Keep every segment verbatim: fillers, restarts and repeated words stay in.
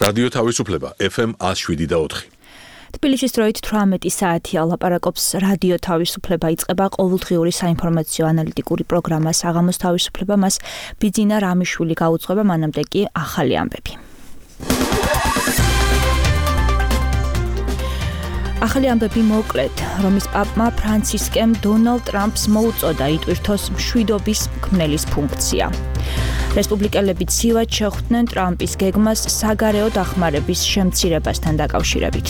რადიო თავისუფლება ეფ ემ one oh seven და four. თბილისის დროით თვრამეტი საათია ლაპარაკობს რადიო თავისუფლება იწყება ყოველდღიური საინფორმაციო ანალიტიკური პროგრამა საღამოს თავისუფლება მას ბიძინა რამიშვილი გაუძღვება მანამდე კი ახალი ამბები. ახალი ამბები მოკლედ, რომის პაპმა ფრანცისკემ დონალდ ტრამპს მოუწოდა იტვირთოს მშვიდობის მქმნელის ფუნქცია. რესპუბლიკელები ცივად შეხვდნენ ტრამპის გეგმას საგარეო დახმარების შემცირებასთან დაკავშირებით.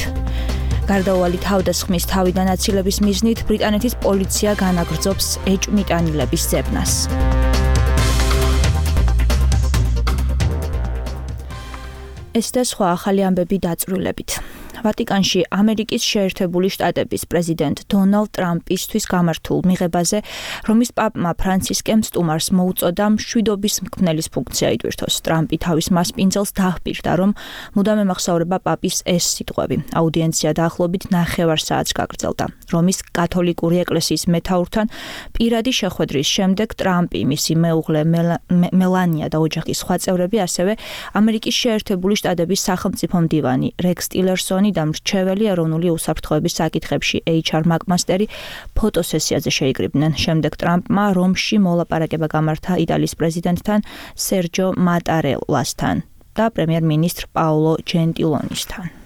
გარდაუვალი თავდასხმის თავიდან აცილების მიზნით ბრიტანეთის პოლიცია განაგრძობს ეჭვმიტანილების ძებნას. ეს და სხვა ახალი ამბები დაწვრილებით. ვატიკანში ამერიკის შეერთებული შტატების პრეზიდენტ დონალდ ტრამპისთვის გამართულ მიღებაზე რომის პაპმა ფრანცისკემ სტუმარს მოუწოდა მშვიდობის მქმნელის ფუნქცია იტვირთოს. ტრამპი თავის მასპინძელს დაჰპირდა, რომ მუდამ ემახსოვრება პაპის ეს სიტყვები. აუდიენცია დაახლოებით ნახევარ საათს გაგრძელდა. რომის კათოლიკური ეკლესიის მეთაურთან პირადი შეხვედრის შემდეგ ტრამპი, მისი მეუღლე მელანია და ოჯახის სხვა წევრები, ასევე ამერიკის შეერთებული შტატების სახელმწიფო მდივანი რექს ტილერსონი და მრჩეველი ეროვნული უსაფრთხოების საკითხებში ეიჩ არ მაკმასტერი ფოტოსესიაზე შეიკრიბნენ. შემდეგ ტრამპმა რომში მოლაპარაკება გამართა იტალიის პრეზიდენტთან სერჯო მატარელასთან და პრემიერ-მინისტრ პაოლო ჯენტილონისთან.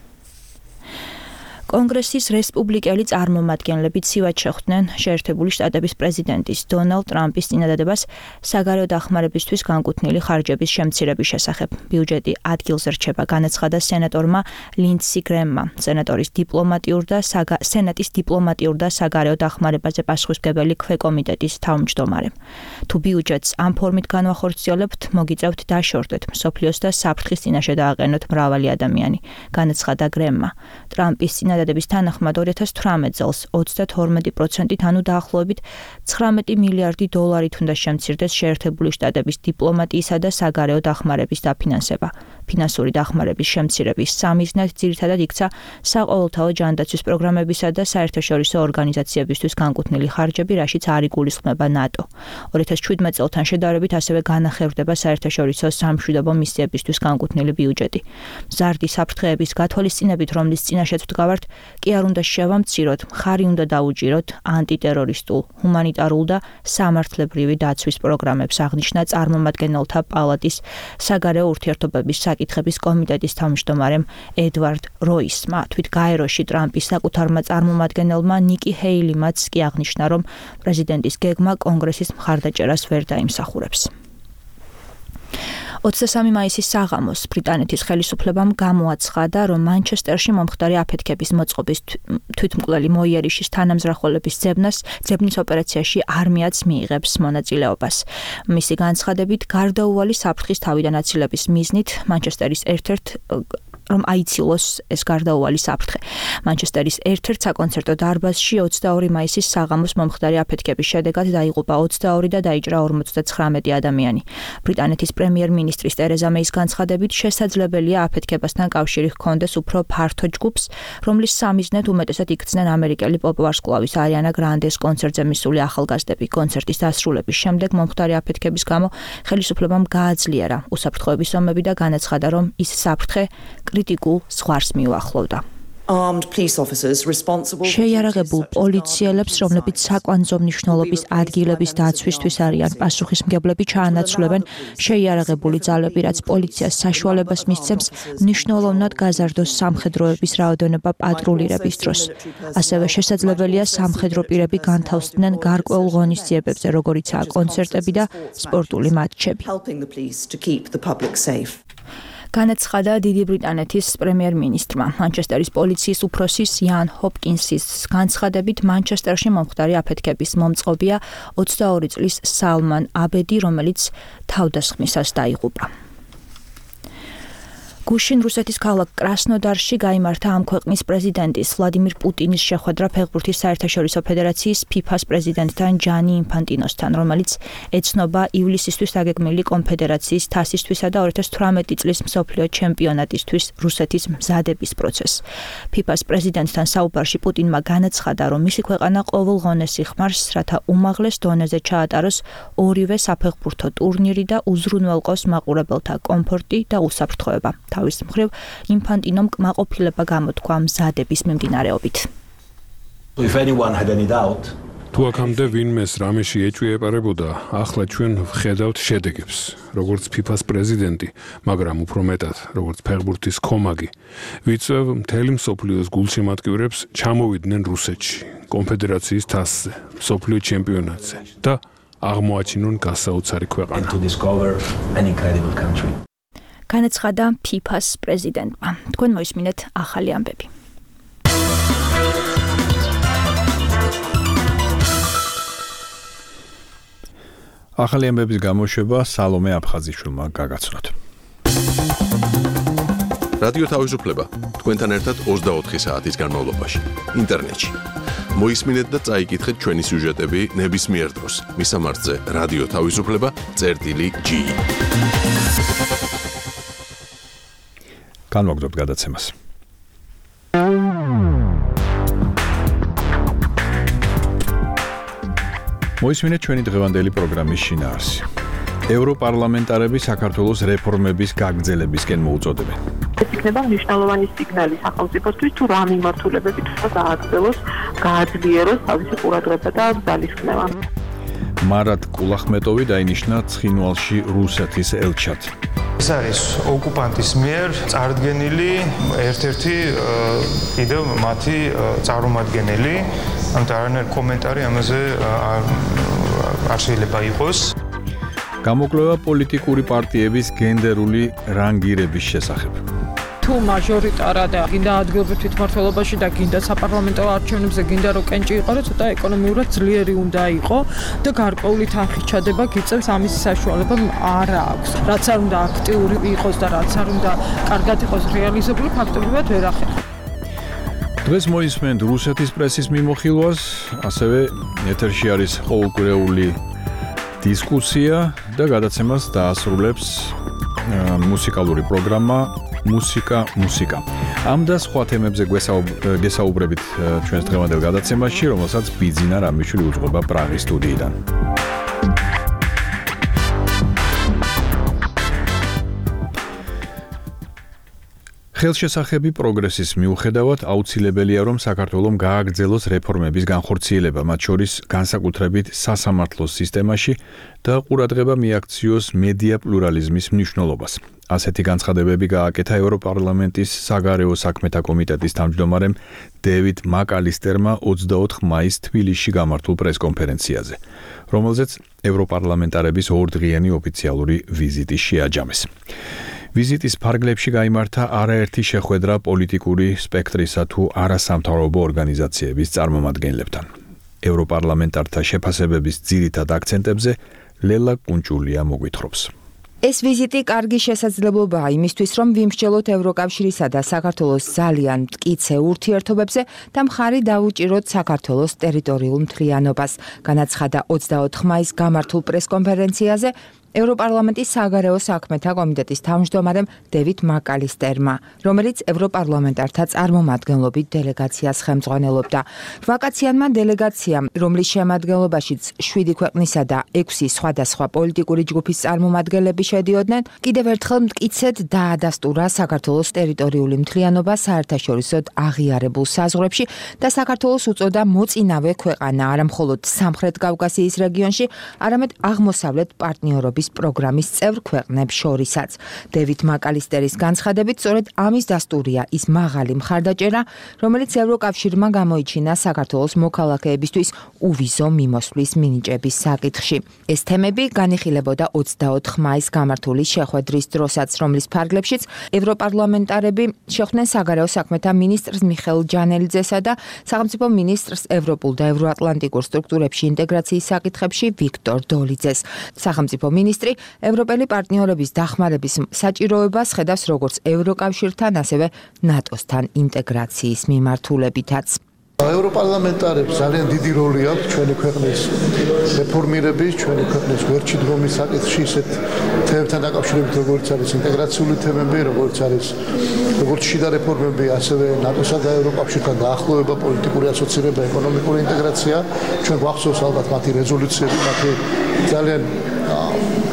კონგრესის რესპუბლიკელი წარმომადგენლები ცივად შეხვდნენ შეერთებული შტატების პრეზიდენტის დონალდ ტრამპის წინადადებას საგარეო დახმარებისთვის განკუთვნილი ხარჯების შემცირების შესახებ. ბიუჯეტი ადგილზე რჩება, განაცხადა სენატორმა ლინდსი გრემმა, სენატორის დიპლომატიურ და სენატის დიპლომატიურ და საგარეო დახმარებაზე პასუხისმგებელი ქვეკომიტეტის თავმჯდომარემ. თუ ბიუჯეტს ამ ფორმით განვახორციელებთ, მოგიწევთ დაშორდეთ მსოფლიოს და საფრთხის წინაშე დააყენოთ მრავალი ადამიანი, განაცხადა გრემმა. ტრამპის წინადადების თანახმად ორი ათას თვრამეტ წელს ოცდათორმეტი პროცენტით, ანუ დაახლოებით ცხრამეტი მილიარდი დოლარით უნდა შემცირდეს შეერთებული შტატების დიპლომატიისა და საგარეო დახმარების დაფინანსება. ფინანსური დახმარების შემცირების სამიზნად ძირითადად იქცა საყოველთაო ჯანდაცვის პროგრამებისა და საერთაშორისო ორგანიზაციებისთვის განკუთვნილი ხარჯები, რაშიც არ იგულისხმება ნატო. ორი ათას ჩვიდმეტ წელთან შედარებით ასევე განახევრდება საერთაშორისო სამშვიდობო მისიებისთვის განკუთვნილი ბიუჯეტი. მზარდი საფრთხეების გათვალისწინებით, რომლის წინაშეც ვდგავართ, კი არ უნდა შევამციროთ, მხარი უნდა დაუჭიროთ ანტიტერორისტულ, ჰუმანიტარულ და სამართლებრივი დაცვის პროგრამებს, აღნიშნა წარმომადგენელთა პალატის საგარეო ურთიერთობების საკითხების კომიტეტის თავმჯდომარემ ედვარდ როისმა. თვით გაეროში ტრამპის საკუთარმა წარმომადგენელმა ნიკი ჰეილიმაც კი აღნიშნა, რომ პრეზიდენტის გეგმა კონგრესის მხარდაჭერას ვერ დაიმსახურებს. ოცდასამი მაისის საღამოს ბრიტანეთის ხელისუფლებამ გამოაცხადა, რომ მანჩესტერში მომხდარი აფეთქების მოწყობის თვითმკვლელი მოიერიშის თანამზრახველების ძებნას ძებნის ოპერაციაში არმიაც მიიღებს მონაწილეობას. მისი განცხადებით, გარდაუვალი საფრთხის თავიდან აცილების მიზნით მანჩესტერის ერთ-ერთ რომ აიცილოს ეს გარდაუვალი საფრთხე. მანჩესტერის ერთ-ერთ საკონცერტო დარბაზში ოცდაორი მაისის საღამოს მომხდარი აფეთქების შედეგად დაიღუპა ოცდაორი და დაიჭრა ორმოცდაცხრამეტი ადამიანი. ბრიტანეთის პრემიერ-მინისტრის ტერეზა მეის განცხადებით, შესაძლებელია აფეთქებასთან კავშირი ჰქონდეს უფრო ფართო ჯგუფს, რომლის სამიზნედ უმეტესად იქცნენ ამერიკელი პოპ ვარსკვლავის არიანა გრანდეს კონცერტზე მისული ახალგაზრდები. კონცერტის დასრულების შემდეგ მომხდარი აფეთქების გამო ხელისუფლებამ გააძლიერა უსაფრთხოების ომები და განაცხადა, რომ ის საფრთხე კრიტიკულ ზღვარს მიუახლოვდა. შეიარაღებულ პოლიციელებს, რომლებიც საკვანძო მნიშვნელობის ადგილების დაცვისთვის არიან პასუხისმგებლები, ჩაანაცვლებენ შეიარაღებული ძალები, რაც პოლიციას საშუალებას მისცემს მნიშვნელოვნად გაზარდოს სამხედროების რაოდენობა პატრულირების დროს. ასევე შესაძლებელია სამხედრო პირები განთავსდნენ გარკვეულ ღონისძიებებზე, როგორიცაა კონცერტები და სპორტული მატჩები. განაცხადა დიდი ბრიტანეთის პრემიერ-მინისტრმა. მანჩესტერის პოლიციის უფროსის იან ჰოპკინსის განცხადებით, მანჩესტერში მომხდარი აფეთქების მომწყობია ოცდაორი წლის სალმან აბედი, რომელიც თავდასხმისას დაიღუპა. გუშინ რუსეთის ქალაქ კრასნოდარში გაიმართა ამ ქვეყნის პრეზიდენტის ვლადიმირ პუტინის შეხვედრა ფეხბურთის საერთაშორისო ფედერაციის ფიფას პრეზიდენტთან ჯანი ინფანტინოსთან, რომელიც ეცნობა ივლისისთვის დაგეგმილი კონფედერაციის თასისთვისა და ორი ათას თვრამეტი წლის მსოფლიო ჩემპიონატისთვის რუსეთის მზადების პროცესს. ფიფას პრეზიდენტთან საუბარში პუტინმა განაცხადა, რომ მისი ქვეყანა ყოველ ღონეს იხმარს, რათა უმაღლეს დონეზე ჩაატაროს ორივე საფეხბურთო ტურნირი და უზრუნველყოს მაყურებელთა კომფორტი და უსაფრთხოება. თავის მხრივ ინფანტინომ კმაყოფილება გამოთქვა მზადების მიმდინარეობით. If anyone had any doubt, თუ აქამდე ვინმეს რამეში ეჭვიეპარებოდა, ახლა ჩვენ ვხედავთ შედეგებს, როგორც ფიფას პრეზიდენტი, მაგრამ უფრო მეტად, როგორც ფეხბურთის კომაგი. ვიწევ მთელი მსოფლიოს გულშემატკივრებს ჩამოვიდნენ რუსეთში, კონფედერაციის თასზე, მსოფლიო ჩემპიონატზე და აღმოაჩინონ გასაოცარი ქვეყანა. to discover an incredible country. განაცხადა ფიფას პრეზიდენტმა. თქვენ მოისმინეთ ახალი ამბები. ახალი ამბების გამოშვება სალომე აფხაზიშვილმა გაგაცნოთ. რადიო თავისუფლება თქვენთან ერთად ოცდაოთხი საათის განმავლობაში ინტერნეტში. მოისმინეთ და წაიკითხეთ ჩვენი სიუჟეტები ნებისმიერ დროს მისამართზე რადიო თავისუფლება წერტილი ჯი. განვაგრძობთ გადაცემას. მოისმინეთ ჩვენი დღევანდელი პროგრამის შინაარსი. ევროპარლამენტარები საქართველოს რეფორმების გაგრძელებისკენ მოუწოდებენ. ეს იქნება მნიშვნელოვანი სიგნალი სახელმწიფოსთვის, თუ რა მიმართულებებით უნდა გააგრძელოს, გააძლიეროს თავისი ყურადღება და ძალისხმევა. მარად კულახმეტოვი დაინიშნა ცხინვალში რუსეთის ელჩად. ეს არის ოკუპანტის მიერ წარდგენილი ერთ-ერთი კიდევ მათი წარმომადგენელი, ამიტომ არანაირი კომენტარი ამაზე არ შეიძლება იყოს. გამოკვლევა პოლიტიკური პარტიების გენდერული რანგირების შესახებ. თუ მაჟორიტარად და გინდა ადგილობრივ თვითმმართველობაში და გინდა საპარლამენტო არჩევნებზე გინდა რომ კენჭი იყარო, ცოტა ეკონომიურად ძლიერი უნდა იყო და გარკვეული თანხის ჩადება გიწევს ამის საშუალება არ აქვს. რაც არ უნდა აქტიური იყოს და რაც არ უნდა კარგად იყოს რეალიზებული, ფაქტობრივად ვერ ახერხებს. დღეს მოისმენთ რუსეთის პრესის მიმოხილვას, ასევე ეთერში არის ყოველკვირეული დისკუსია და გადაცემას დაასრულებს მუსიკალური პროგრამა მუსიკა მუსიკა. ამ და სხვა თემებზე გესაუბრებით ჩვენს დღევანდელ გადაცემაში, რომელსაც ბიძინა რამიშვილი უძღვება პრაღის სტუდიიდან. ხელშესახები პროგრესის მიუხედავად აუცილებელია, რომ საქართველომ გააგრძელოს რეფორმების განხორციელება, მათ შორის განსაკუთრებით სასამართლოს სისტემაში და ყურადღება მიაქციოს მედია პლურალიზმის მნიშვნელობას. ასეთი განცხადებები გააკეთა ევროპარლამენტის საგარეო საქმეთა კომიტეტის თავმჯდომარემ დევიდ მაკალისტერმა ოცდაოთხ მაისს თბილისში გამართულ პრესკონფერენციაზე, რომელზეც ევროპარლამენტარების ორდღიანი ოფიციალური ვიზიტი შეაჯამეს. ვიზიტის ფარგლებში გაიმართა არაერთი შეხვედრა პოლიტიკური სპექტრისა თუ არასამთავრობო ორგანიზაციების წარმომადგენლებთან. ევროპარლამენტართა შეფასებების ძირითად აქცენტებზე ლელა კუნჭულია მოგვითხრობს. ეს ვიზიტი კარგი შესაძლებლობაა იმისთვის, რომ ვიმსჯელოთ ევროკავშირისა და საქართველოს ძალიან მტკიცე ურთიერთობებზე და მხარი დაუჭიროთ საქართველოს ტერიტორიულ მთლიანობას, განაცხადა ოცდაოთხ მაისს გამართულ პრესკონფერენციაზე ევროპარლამენტის საგარეო საქმეთა კომიტეტის თავმჯდომარემ დევიდ მაკალისტერმა, რომელიც ევროპარლამენტართა წარმომადგენლობით დელეგაციას ხელმძღვანელობდა. რვაკაციანმა დელეგაციამ, რომლის შემადგენლობაშიც შვიდი ქვეყნისა და ექვსი სხვადასხვა პოლიტიკური ჯგუფის წარმომადგენლები შედიოდნენ, კიდევ ერთხელ მტკიცედ დაადასტურა საქართველოს ტერიტორიული მთლიანობა საერთაშორისოდ აღიარებულ საზღვრებში და საქართველოს უწოდა მოწინავე ქვეყანა არა მხოლოდ სამხრეთ კავკასიის რეგიონში, არამედ აღმოსავლეთ პარტნიორობის პროგრამის წევრ ქვეყნებს შორისაც. დევიდ მაკალისტერის განცხადებით, სწორედ ამის დასტურია ის მაღალი მხარდაჭერა, რომელიც ევროკავშირმა გამოიჩინა საქართველოს მოქალაქეებისთვის უვიზო მიმოსვლის მინიჭების საკითხში. ეს თემები განიხილებოდა ოცდაოთხ მაისს გამართული შეხვედრის დროსაც, რომლის ფარგლებშიც ევროპარლამენტარები შეხვდნენ საგარეო საქმეთა მინისტრს მიხეილ ჯანელიძესა და სახელმწიფო მინისტრს ევროპულ და ევროატლანტიკურ სტრუქტურებში ინტეგრაციის საკითხებში ვიქტორ დოლიძეს. სახელმწიფო მინისტრი ევროპელი პარტნიორების დახმარების საჭიროებას ხედავს როგორც ევროკავშირთან, ასევე ნატოსთან ინტეგრაციის მიმართულებითაც. ევროპარლამენტარებს ძალიან დიდი როლი აქვს ჩვენი ქვეყნის რეფორმირების, ჩვენი ქვეყნის გვერდში დგომის საკითხში, ისეთ თემებთან დაკავშირებით, როგორც არის ინტეგრაციული თემები, როგორც არის როგორც შიდა რეფორმები, ასევე ნატოსა და ევროკავშირთან დაახლოება, პოლიტიკური ასოცირება, ეკონომიკური ინტეგრაცია. ჩვენ გვახსოვს ალბათ მათი რეზოლუციები, მათი ძალიან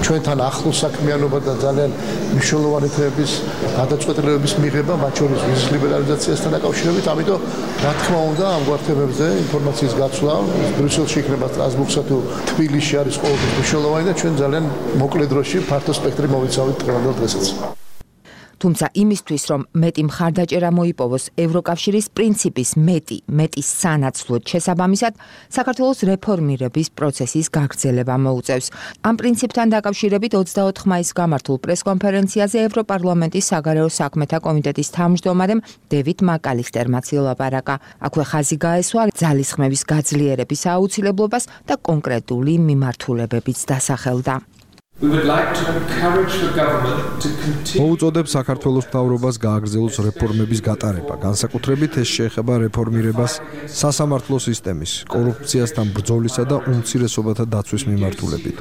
ჩვენთან ახლოს საქმიანობა და ძალიან მნიშვნელოვანი თემების გადაწყვეტილებების მიღება, მათ შორის ვიზის ლიბერალიზაციასთან დაკავშირებით, ამიტომ რა თქმა უნდა ამგვარ თემებზე ინფორმაციის გაცვლა ბრიუსელში იქნება სტრასბურგსა თუ თბილისში არის ყოველთვის მნიშვნელოვანი და ჩვენ ძალიან მოკლე დროში ფართო სპექტრი მოვიცავით დღევანდელ დღესაც. თუმცა იმისთვის, რომ მეტი მხარდაჭერა მოიპოვოს ევროკავშირის პრინციპის მეტი, მეტის სანაცვლოდ შესაბამისად, საქართველოს რეფორმირების პროცესის გაგრძელება მოუწევს. ამ პრინციპთან დაკავშირებით ოცდაოთხ მაისს გამართულ პრესკონფერენციაზე ევროპარლამენტის საგარეო საქმეთა კომიტეტის თავმჯდომარემ დევიდ მაკალისტერმაც ილაპარაკა. აქვე ხაზი გაესვა ძალისხმევის გაძლიერების აუცილებლობას და კონკრეტული მიმართულებებიც დასახელდა. მოუწოდებ საქართველოს მთავრობას გააგრძელოს რეფორმების გატარება, განსაკუთრებით ეს შეეხება რეფორმირებას სასამართლო სისტემის, კორუფციასთან ბრძოლისა და უმცირესობათა დაცვის მიმართულებით.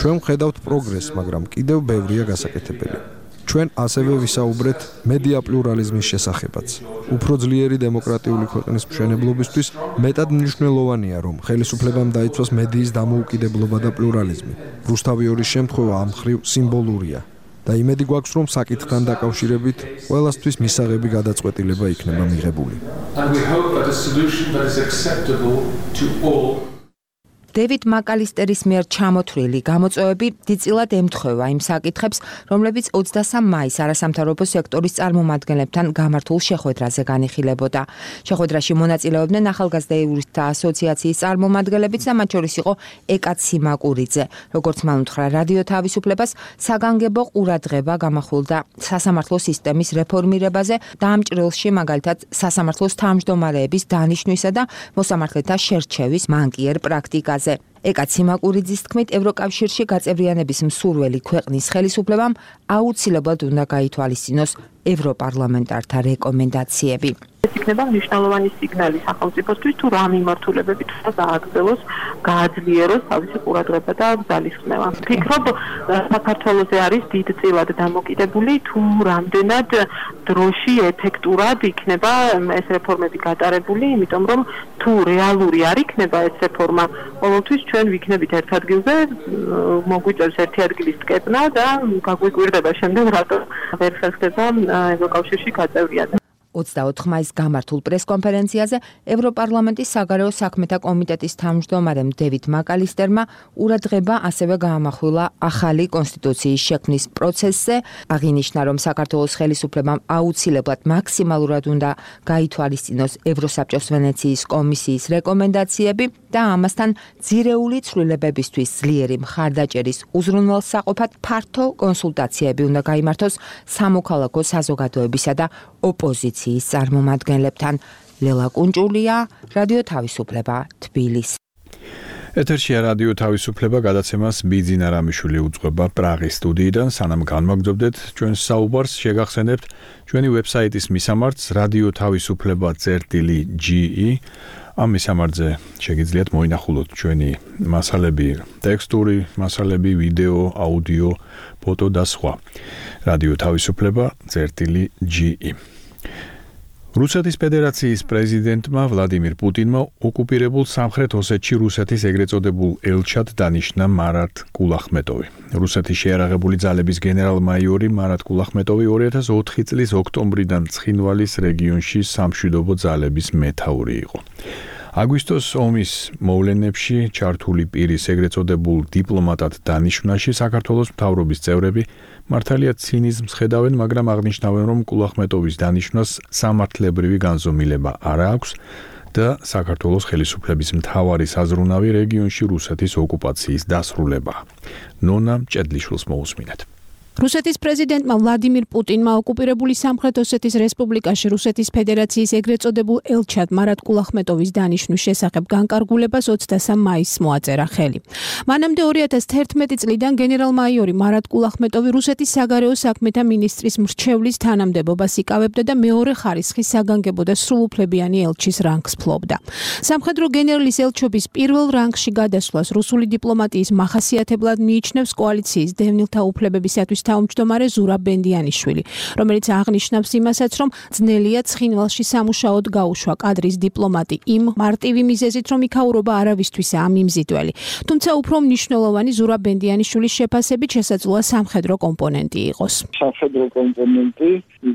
ჩვენ ვხედავთ პროგრესს, მაგრამ კიდევ ბევრია გასაკეთებელი. ჩვენ ასევე ვისაუბრეთ მედია პლურალიზმის შესახებაც. უფრო ძლიერი დემოკრატიული ქვეყნის მშენებლობისთვის მეტად მნიშვნელოვანია, რომ ხელისუფლებამ დაიცვას მედიის დამოუკიდებლობა და პლურალიზმი. რუსთავიორის შემთხვევა ამ მხრივ სიმბოლურია და იმედი გვაქვს, რომ საკითხთან დაკავშირებით ყველასთვის მისაღები გადაწყვეტილება იქნება მიღებული. დევიდ მაკალისტერის მიერ ჩამოთვლილი გამოწვევები დიდწილად ემთხვევა იმ საკითხებს, რომლებიც ოცდასამ მაისს არასამთავრობო სექტორის წარმომადგენლებთან გამართულ შეხვედრაზე განიხილებოდა. შეხვედრაში მონაწილეობდნენ ახალგაზრდა იურისტთა ასოციაციის წარმომადგენლებიც და მათ შორის იყო ეკა ციმაკურიძე. როგორც მან უთხრა რადიო თავისუფლებას, საგანგებო ყურადღება გამახვილდა სასამართლო სისტემის რეფორმირებაზე და ამ ჭრილში მაგალითად სასამართლოს თავმჯდომარეების დანიშვნისა და მოსამართლეთა შერჩევის მანკიერ პრაქტიკაზე. ეკა ციმაკურიძის თქმით, ევროკავშირში გაწევრიანების მსურველი ქვეყნის ხელისუფლებამ აუცილებლად უნდა გაითვალისწინოს ევროპარლამენტართა რეკომენდაციები. ეს იქნება მნიშვნელოვანი სიგნალი სახელმწიფოსთვის, თუ რა მიმართულებებით უნდა გააგრძელოს, გააძლიეროს თავისი ყურადღება და ძალისხმევა. ვფიქრობ, საქართველოზე არის დიდწილად დამოკიდებული, თუ რამდენად დროში ეფექტურად იქნება ეს რეფორმები გატარებული, იმიტომ რომ თუ რეალური არ იქნება ეს რეფორმა, ყოველთვის ჩვენ ვიქნებით ერთ ადგილზე, მოგვიწევს ერთი ადგილის ტკეპნა და გაგვიკვირდება შემდეგ რატო ვერ ხერხდება ევროკავშირში გაწევრიანება. ოცდაოთხ მაისს გამართულ პრესკონფერენციაზე ევროპარლამენტის საგარეო საქმეთა კომიტეტის თავმჯდომარემ დევიდ მაკალისტერმა ყურადღება ასევე გაამახვილა ახალი კონსტიტუციის შექმნის პროცესზე, აღინიშნა, რომ საქართველოს ხელისუფლებამ აუცილებლად მაქსიმალურად უნდა გაითვალისწინოს ევროსაბჭოს ვენეციის კომისიის რეკომენდაციები და ამასთან ძირეული ცვლილებებისთვის ძლიერი მხარდაჭერის უზრუნველსაყოფად ფართო კონსულტაციები უნდა გაიმართოს სამოქალაქო საზოგადოებისა და ოპოზიციის წარმომადგენლებთან. ლელა კუნჭულია, რადიო თავისუფლება, თბილისი. ეთერშია რადიო თავისუფლება, გადაცემას ბიძინა რამიშვილი უძღვება პრაღის სტუდიიდან. სანამ განვაგრძობდეთ ჩვენს საუბარს, შეგახსენებთ ჩვენი ვებსაიტის მისამართს რადიო თავისუფლება წერტილი ჯი ი. ამ მისამართზე შეგიძლიათ მოინახულოთ ჩვენი მასალები, ტექსტური მასალები, ვიდეო, აუდიო, ფოტო და სხვა. რადიო თავისუფლება წერტილი ჯი ი. რუსეთის ფედერაციის პრეზიდენტმა ვლადიმირ პუტინმა ოკუპირებულ სამხრეთ ოსეთში რუსეთის ეგრეთ წოდებულ ელჩად დანიშნა მარატ კულახმეტოვი. რუსეთის შეიარაღებული ძალების გენერალ-მაიორი მარატ კულახმეტოვი ორი ათას ოთხი წლის ოქტომბრიდან ცხინვალის რეგიონში სამშვიდობო ძალების მეთაური იყო. აგვისტოს ომის მოვლენებში ჩართული პირის ეგრეთ წოდებულ დიპლომატად დანიშვნაში საქართველოს მთავრობის წევრები მართალია ცინიზმს ხედავენ, მაგრამ აღნიშნავენ, რომ კულახმეტოვის დანიშვნას სამართლებრივი განზომილება არ აქვს და საქართველოს ხელისუფლების მთავარი საზრუნავი რეგიონში რუსეთის ოკუპაციის დასრულება. ნონა მჭედლიშვილს მოусმინეთ. რუსეთის პრეზიდენტმა ვლადიმირ პუტინმა ოკუპირებული სამხრეთ ოსეთის რესპუბლიკაში რუსეთის ფედერაციის ეგრეთ წოდებულ ელჩად მარატ კულახმეტოვის დანიშვნის შესახებ განკარგულებას ოცდასამ მაისს მოაწერა ხელი. მანამდე ორი ათას თერთმეტი წლიდან გენერალ-მაიორი მარატ კულახმეტოვი რუსეთის საგარეო საქმეთა მინისტრის მრჩევლის თანამდებობას იკავებდა და მეორე ხარისხის საგანგებო და სრულუფლებიანი ელჩის რანგს ფლობდა. სამხედრო გენერლის ელჩობის პირველ რანგში გადასვლას რუსული დიპლომატიის მახასიათებლად მიიჩნევს კოალიციის დევნილთა უფლებებისათვის თავმჯდომარე ზურაბ ბენდიანიშვილი, რომელიც აღნიშნავს იმასაც, რომ ძნელია ცხინვალში სამუშაოდ გაუშვა კადრის დიპლომატი იმ მარტივი მიზეზით, რომ იქაურობა არავისთვისაა ამ მიმზიდველი. თუმცა უფრო მნიშვნელოვანი ზურაბ ბენდიანიშვილის შეფასებით შესაძლოა სამხედრო კომპონენტი იყოს. სამხედრო კომპონენტი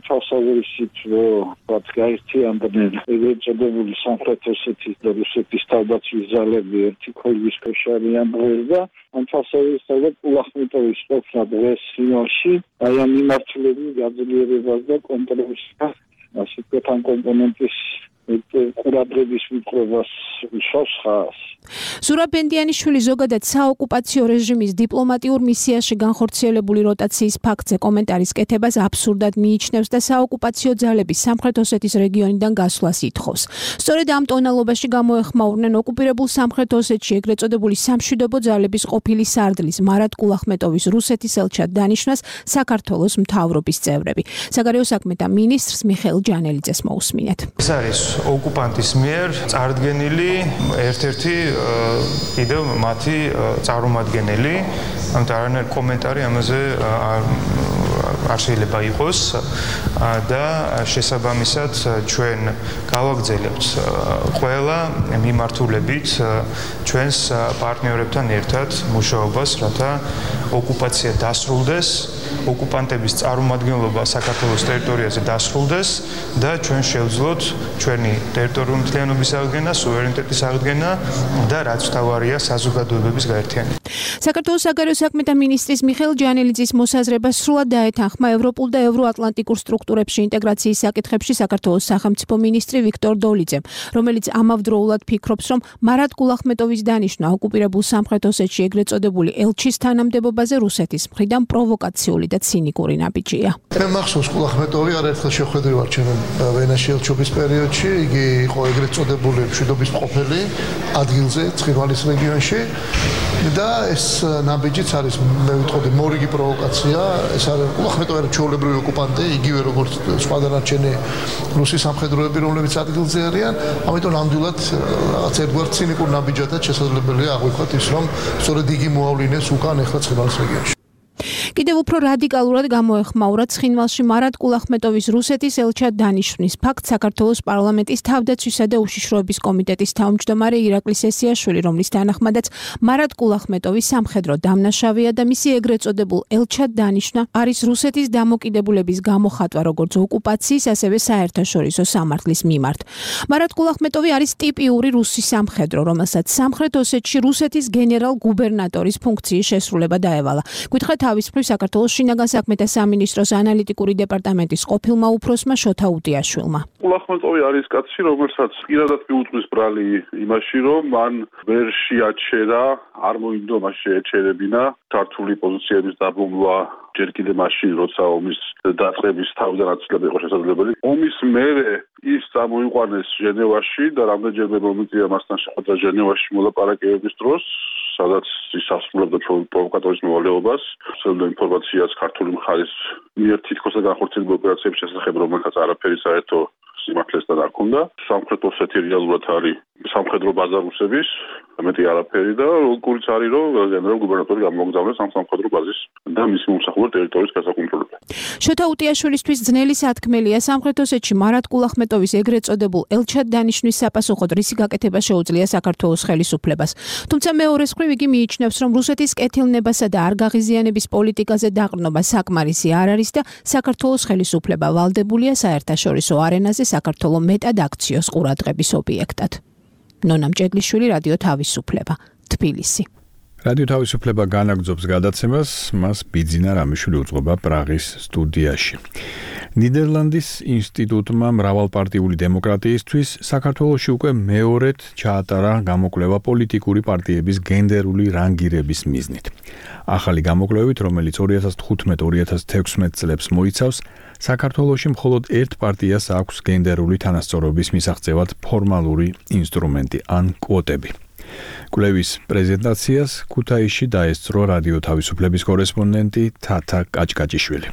თვალსაზრისით, რომ გაერთიანდნენ ეგრეთ წოდებული სამხრეთ ოსეთის და რუსეთის თავდაცვის ძალები ერთი ქოლგის ქვეშ არიან დღეს და ამ თვალსაზრისით ულახმეტოვის ყოფნა დღეს ფინალში აი ამ მიმართულებით გაძლიერებას და კონტროლის ასე ვთქვათ ამ კომპონენტის ყურადღების მიტყობას უშავს ხას. ზურაბ ბენდიანიშვილი ზოგადად საოკუპაციო რეჟიმის დიპლომატიურ მისიაში განხორციელებული როტაციის ფაქტზე კომენტარის კეთებას აბსურდად მიიჩნევს და საოკუპაციო ძალების სამხრეთ ოსეთის რეგიონიდან გასვლას ითხოვს. სწორედ ამ ტონალობაში გამოეხმაურნენ ოკუპირებულ სამხრეთ ოსეთში ეგრეთ წოდებული სამშვიდობო ძალების ყოფილი სარდლის მარად კულახმეტოვის რუსეთის ელჩად დანიშვნას საქართველოს მთავრობის წევრები. საგარეო საქმეთა მინისტრს მიხეილ ჯანელიძეს მოусმინეთ. ეს არის ოკუპანტის მიერ წარდგენილი ერთ-ერთი კიდევ მათი წარმომადგენელი, ამიტომ არანაირი კომენტარი ამაზე არ შეიძლება იყოს და შესაბამისად ჩვენ გავაგრძელებთ ყველა მიმართულებით ჩვენს პარტნიორებთან ერთად მუშაობას, რათა ოკუპაცია დასრულდეს, ოკუპანტების წარმომადგენლობა საქართველოს ტერიტორიაზე დასრულდეს და ჩვენ შევძლოთ ჩვენი ტერიტორიული მთლიანობის აღდგენა, სუვერენიტეტის აღდგენა და რაც თავარია საზოგადოებების გაერთიანება. საქართველოს საგარეო საქმეთა მინისტრის მიხეილ ჯანელიძის მოსაზრებას სრულად დაეთანხმა ევროპულ და ევროატლანტიკურ სტრუქტურებში ინტეგრაციის საკითხებში საქართველოს სახელმწიფო მინისტრი ვიქტორ დოლიძემ, რომელიც ამავდროულად ფიქრობს, რომ მარად კულახმეტოვის დანიშვნა ოკუპირებულ სამხრეთ ოსეთში ეგრეთ წოდებული ელჩის თანამდებობაზე რუსეთის მხრიდან პროვოკაციული და ცინიკური ნაბიჯია. მე მახსოვს კულახმეტოვი არაერთხელ შეხვედრი ვარ ჩვენ ვენაში ელჩობის პერიოდში, იგი იყო ეგრეთ წოდებული მშვიდობის მყოფელი ადგილზე ცხინვალის რეგიონში და ეს ნაბიჯიც არის მე ვიტყოდი მორიგი პროვოკაცია. ეს არის კულახმეტოვი არის ჩვეულებრივი ოკუპანტი, იგივე როგორც სხვა დანარჩენი რუსის სამხედროები, რომლებიც ადგილზე არიან, ამიტომ ნამდვილად რაღაც ერთგვარ ცინიკურ ნაბიჯადაც შესაძლებელია აღვიქვათ ის, რომ სწორედ იგი მოავლინეს უკან ახლა ცხინვალის რეგიონში. კიდევ უფრო რადიკალურად გამოეხმაურა ცხინვალში მარად კულახმეტოვის რუსეთის ელჩად დანიშვნის ფაქტ საქართველოს პარლამენტის თავდაცვისა და უშიშროების კომიტეტის თავმჯდომარე ირაკლი სესიაშვილი, რომლის თანახმადაც მარად კულახმეტოვის სამხედრო დამნაშავეა და მისი ეგრეთ წოდებულ ელჩად დანიშვნა არის რუსეთის დამოკიდებულების გამოხატვა როგორც ოკუპაციის, ასევე საერთაშორისო სამართლის მიმართ. მარად კულახმეტოვი არის ტიპიური რუსი სამხედრო, რომელსაც სამხრეთ ოსეთში რუსეთის გენერალ-გუბერნატორის ფუნქციის შესრულება დაევალა. გითხრა თავის მხრივ საქართველოს შინაგან საქმეთა სამინისტროს ანალიტიკური დეპარტამენტის ყოფილმა უფროსმა შოთა უტიაშვილმა. კულახმეტოვი არის კაცი, რომელსაც პირადად მიუძღვის ბრალი იმაში, რომ მან ვერ შეაჩერა, არ მოინდომა შეეჩერებინა ქართული პოზიციების დაბომბვა ჯერ კიდევ მაშინ, როცა ომის დაწყების თავდანაცვლება იყო შესაძლებელი. ომის მერე ის წამოიყვანეს ჟენევაში და რამდენჯერმე მომიწია მასთან შეხვედრა ჟენევაში მოლაპარაკებების დროს, სადაც ის ასრულებდა პროვოკატორის მოვალეობას, ვრცელდა ინფორმაციას ქართული მხარის მიერ თითქოს განხორციელებული ოპერაციების შესახებ, რომელთაც არაფერი საერთო სიმართლესთან არ ჰქონდა. სამხრეთ ოსეთი რეალურად არის სამხედრო ბაზა რუსების, მეტი არაფერი და როგორიც არის, რომ გენერალ-გუბერნატორი გამოგზავნეს ამ სამხედრო ბაზის და მისი მომსახურე ტერიტორიის გასაკონტროლებლად. შოთა უტიაშვილისთვის ძნელი სათქმელია სამხრეთ ოსეთში მარად კულახმეტოვის ეგრეთ წოდებულ ელჩად დანიშვნის საპასუხოდ რისი გაკეთება შეუძლია საქართველოს ხელისუფლებას. თუმცა მეორეს მხრივ იგი მიიჩნევს, რომ რუსეთის კეთილნებასა და არ გაღიზიანების პოლიტიკაზე დაყრდნობა საკმარისი არ არის და საქართველოს ხელისუფლება ვალდებულია საერთაშორისო არენაზე საქართველოს მეტად აქციოს ყურადღების ობიექტად. ნონა მჭედლიშვილი, რადიო თავისუფლება, თბილისი. რადიო თავისუფლება განაგრძობს გადაცემას, მას ბიძინა რამიშვილი უძღვება პრაღის სტუდიაში. ნიდერლანდის ინსტიტუტმა მრავალპარტიული დემოკრატიისთვის საქართველოში უკვე მეორედ ჩაატარა გამოკვლევა პოლიტიკური პარტიების გენდერული რანგირების მიზნით. ახალი გამოკვლევით, რომელიც ორი ათას თხუთმეტ ორი ათას თექვსმეტ წლებს მოიცავს, საქართველოში მხოლოდ ერთ პარტიას აქვს გენდერული თანასწორობის მისაღწევად ფორმალური ინსტრუმენტი ან კვოტები. კვლევის პრეზენტაციას ქუთაისში დაესწრო რადიო თავისუფლების კორესპონდენტი თათა კაჭკაჭიშვილი.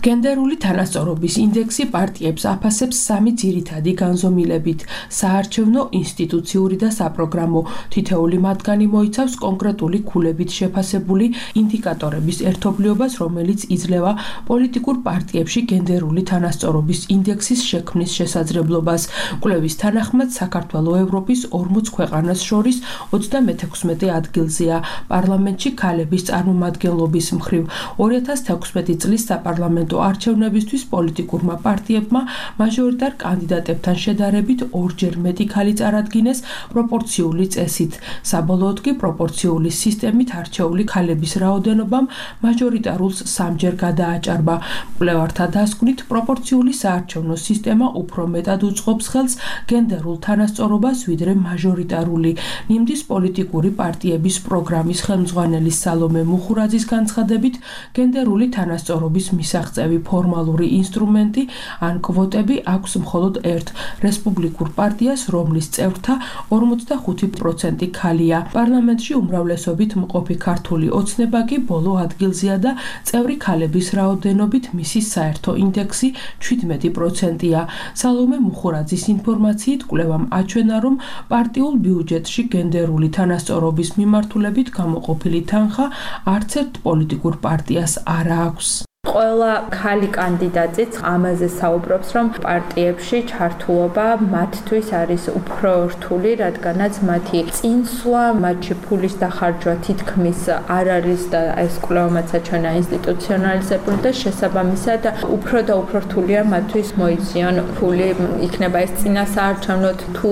გენდერული თანასწორობის ინდექსი პარტიებს აფასებს სამი ძირითადი განზომილებით: საარჩევნო, ინსტიტუციური და საპროგრამო. თითოეული მათგანი მოიცავს კონკრეტული ქულებით შეფასებული ინდიკატორების ერთობლიობას, რომელიც იძლევა პოლიტიკურ პარტიებში გენდერული თანასწორობის ინდექსის შექმნის შესაძლებლობას. კვლევის თანახმად საქართველო ევროპის ორმოც ქვეყანას შორის ოცდამეექვსმეტე ადგილზეა პარლამენტში ქალების წარმომადგენლობის მხრივ. ორი ათას თექვსმეტი წლის საპარლამენტო არჩევნებისთვის პოლიტიკურმა პარტიებმა მაჟორიტარ კანდიდატებთან შედარებით ორჯერ მეტი ქალი წარადგინეს პროპორციული წესით. საბოლოოდ კი პროპორციული სისტემით არჩეული ქალების რაოდენობამ მაჟორიტარულს სამჯერ გადააჭარბა. კვლევართა დასკვნით, პროპორციული საარჩევნო სისტემა უფრო მეტად უწყობს ხელს გენდერულ თანასწორობას, ვიდრე მაჟორიტარული. ნიმდის პოლიტიკური პარტიების პროგრამის ხელმძღვანელი სალომე მუხურაძის განცხადებით, გენდერული თანასწორობის მისაღწევი ფორმალური ინსტრუმენტი ან კვოტები აქვს მხოლოდ ერთ რესპუბლიკურ პარტიას, რომლის წევრთა ორმოცდახუთი პროცენტი ქალია. პარლამენტში უმრავლესობით მყოფი ქართული ოცნება კი ბოლო ადგილზეა და წევრი ქალების რაოდენობით მისი საერთო ინდექსი შვიდმეტი პროცენტია. სალომე მუხურაძის ინფორმაციით, კვლევამ აჩვენა, რომ პარტიულ ბიუჯეტში გენდერული თანასწორობის მიმართულებით გამოყოფილი თანხა არც ერთ პოლიტიკურ პარტიას არ აქვს. ყველა ქალი კანდიდატიც ამაზე საუბრობს, რომ პარტიებში ჩართულობა მათთვის არის უფრო რთული, რადგანაც მათი წინსვლა, მათი ფულის დახარჯვა თითქმის არ არის და ეს კვლევამაც აჩვენა ინსტიტუციონალიზებული და შესაბამისად უფრო და უფრო რთულია მათთვის მოიციან ფული, იქნება ეს წინასაარჩევნოდ თუ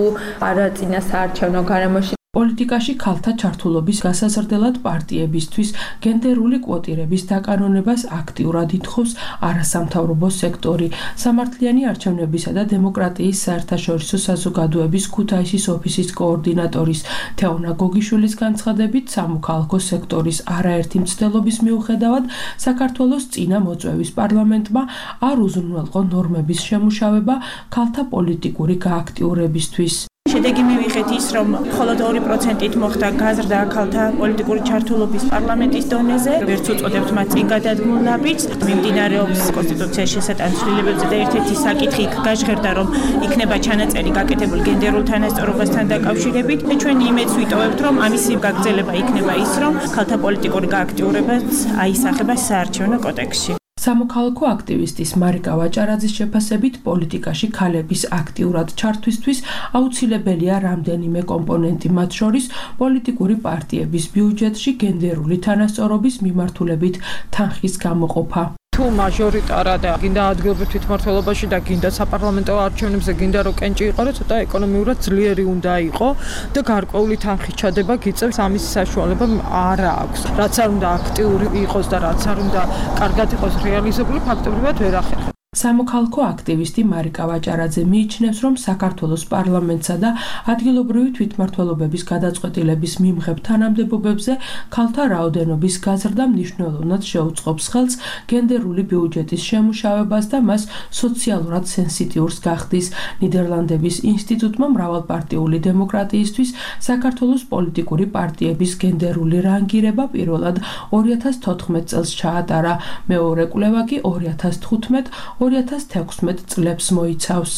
არა წინასაარჩევნო გარემოში. პოლიტიკაში ქალთა ჩართულობის გასაზრდელად პარტიებისთვის გენდერული კვოტირების დაკანონებას აქტიურად ითხოვს არასამთავრობო სექტორი. სამართლიანი არჩევნებისა და დემოკრატიის საერთაშორისო საზოგადოების ქუთაისის ოფისის კოორდინატორის თეონა გოგიშვილის განცხადებით, სამოქალაქო სექტორის არაერთი მცდელობის მიუხედავად საქართველოს წინა მოწვევის პარლამენტმა არ უზრუნველყო ნორმების შემუშავება ქალთა პოლიტიკური გააქტიურებისთვის. შედეგი მივიღეთ ის, რომ მხოლოდ ორი პროცენტით მოხდა გაზრდა ქალთა პოლიტიკური ჩართულობის პარლამენტის დონეზე. ვერც უწოდებთ მათ წინ გადადგმულნაბიჯს. მიმდინარეობს კონსტიტუციაში შესატან ცვლილებებზე და ერთ-ერთი საკითხი იქ გაჟღერდა, რომ იქნება ჩანაწერი გაკეთებული გენდერულ თანასწორობასთან დაკავშირებით. და ჩვენ იმედს ვიტოვებთ, რომ ამის გაგრძელება იქნება ის, რომ ქალთა პოლიტიკური გააქტიურებაც აისახება საარჩევნო კოდექსში. სამოქალაქო აქტივისტის მარიკა ვაჭარაძის შეფასებით, პოლიტიკაში ქალების აქტიურად ჩართვისთვის აუცილებელია რამდენიმე კომპონენტი, მათ შორის პოლიტიკური პარტიების ბიუჯეტში გენდერული თანასწორობის მიმართულებით თანხის გამოყოფა. თუ მაჟორიტარა და გინდა ადგილობრივ თვითმმართველობაში და გინდა საპარლამენტო არჩევნებზე გინდა რომ კენჭი იყარო, ცოტა ეკონომიურად ძლიერი უნდა იყო და გარკვეული თანხის ჩადება გიწევს, ამის საშუალება არ აქვს. რაც არ უნდა აქტიური იყოს და რაც არ უნდა კარგად იყოს რეალიზებული, ფაქტობრივად ვერ ახერხებს. სამოქალაქო აქტივისტი მარიკა ვაჭარაძე მიიჩნევს, რომ საქართველოს პარლამენტსა და ადგილობრივი თვითმმართველობების გადაწყვეტილების მიმღებ თანამდებობებზე ქალთა რაოდენობის გაზრდა მნიშვნელოვნად შეუწყობს ხელს გენდერული ბიუჯეტის შემუშავებას და მას სოციალურად სენსიტიურს გახდის. ნიდერლანდების ინსტიტუტმა მრავალპარტიული დემოკრატიისთვის საქართველოს პოლიტიკური პარტიების გენდერული რანგირება პირველად ორი ათას თოთხმეტ წელს ჩაატარა, მეორე კვლევა კი ორი ათას თხუთმეტ ორი ათას თექვსმეტ წლებს მოიცავს.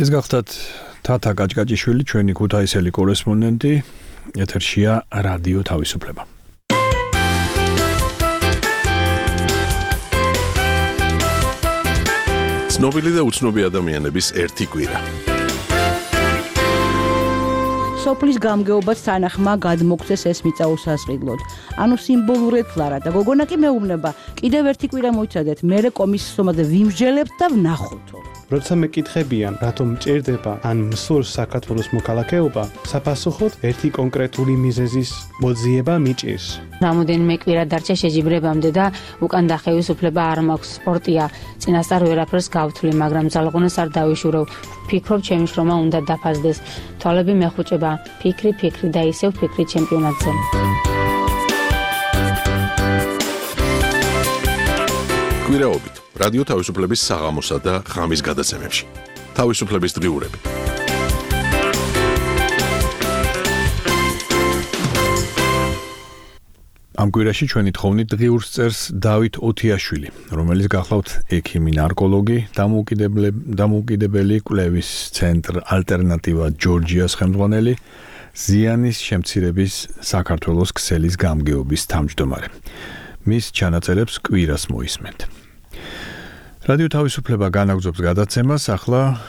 ეს გახდათ თათა გაჭგაჭიშვილი, ჩვენი ქუთაისელი კორესპონდენტი, ეთერშია რადიო თავისუფლება. ცნობილი და უცნობი ადამიანების ერთი კვირა. სოფლის გამგეობაც თანახმა გადმოგცეს ეს მიწა უსასყიდლოდ. ანუ სიმბოლურად ფლარა და გოგონა კი მეუბნება, კიდევ ერთი კვირა მოიცადეთ, მერე კომისიის სომაზე ვიმსჯელებთ და ვნახოთ. როცა მეკითხებიან, რატომ მჭირდება ან მსურს საქართველოს მოქალაქეობა, საფასუხოდ ერთი კონკრეტული მიზეზის მოძიება მიჭირს. რამოდენიმე კვირა დარჩა შეჯიბრებამდე და უკან დახევის უფლება არ მაქვს. სპორტია, წინასწარ ვერაფერს გავთვლი, მაგრამ ძალღონას არ დავიშურევ. ფიქრობ, ჩემი შრომა უნდა დაფასდეს. თვალები მეხუჭება, ფიქრი, ფიქრი და ისევ ფიქრი ჩემპიონატზე. კვირაობით რადიო თავისუფლების საღამოსა და ღამის გადაცემებში. თავისუფლების დღიურები. ამ კვირაში ჩვენი თხოვნით დღიურს წერს დავით ოთიაშვილი, რომელიც გახლავთ ექიმი ნარკოლოგი, დამოუკიდებელი კვლევის ცენტრ ალტერნატივა ჯორჯიას ხელმძღვანელი, ზიანის შემცირების საქართველოს ქსელის გამგეობის თავმჯდომარე. მის ჩანაწერებს კვირას მოისმენთ. რადიო თავისუფლება განაგრძობს გადაცემას, ახლა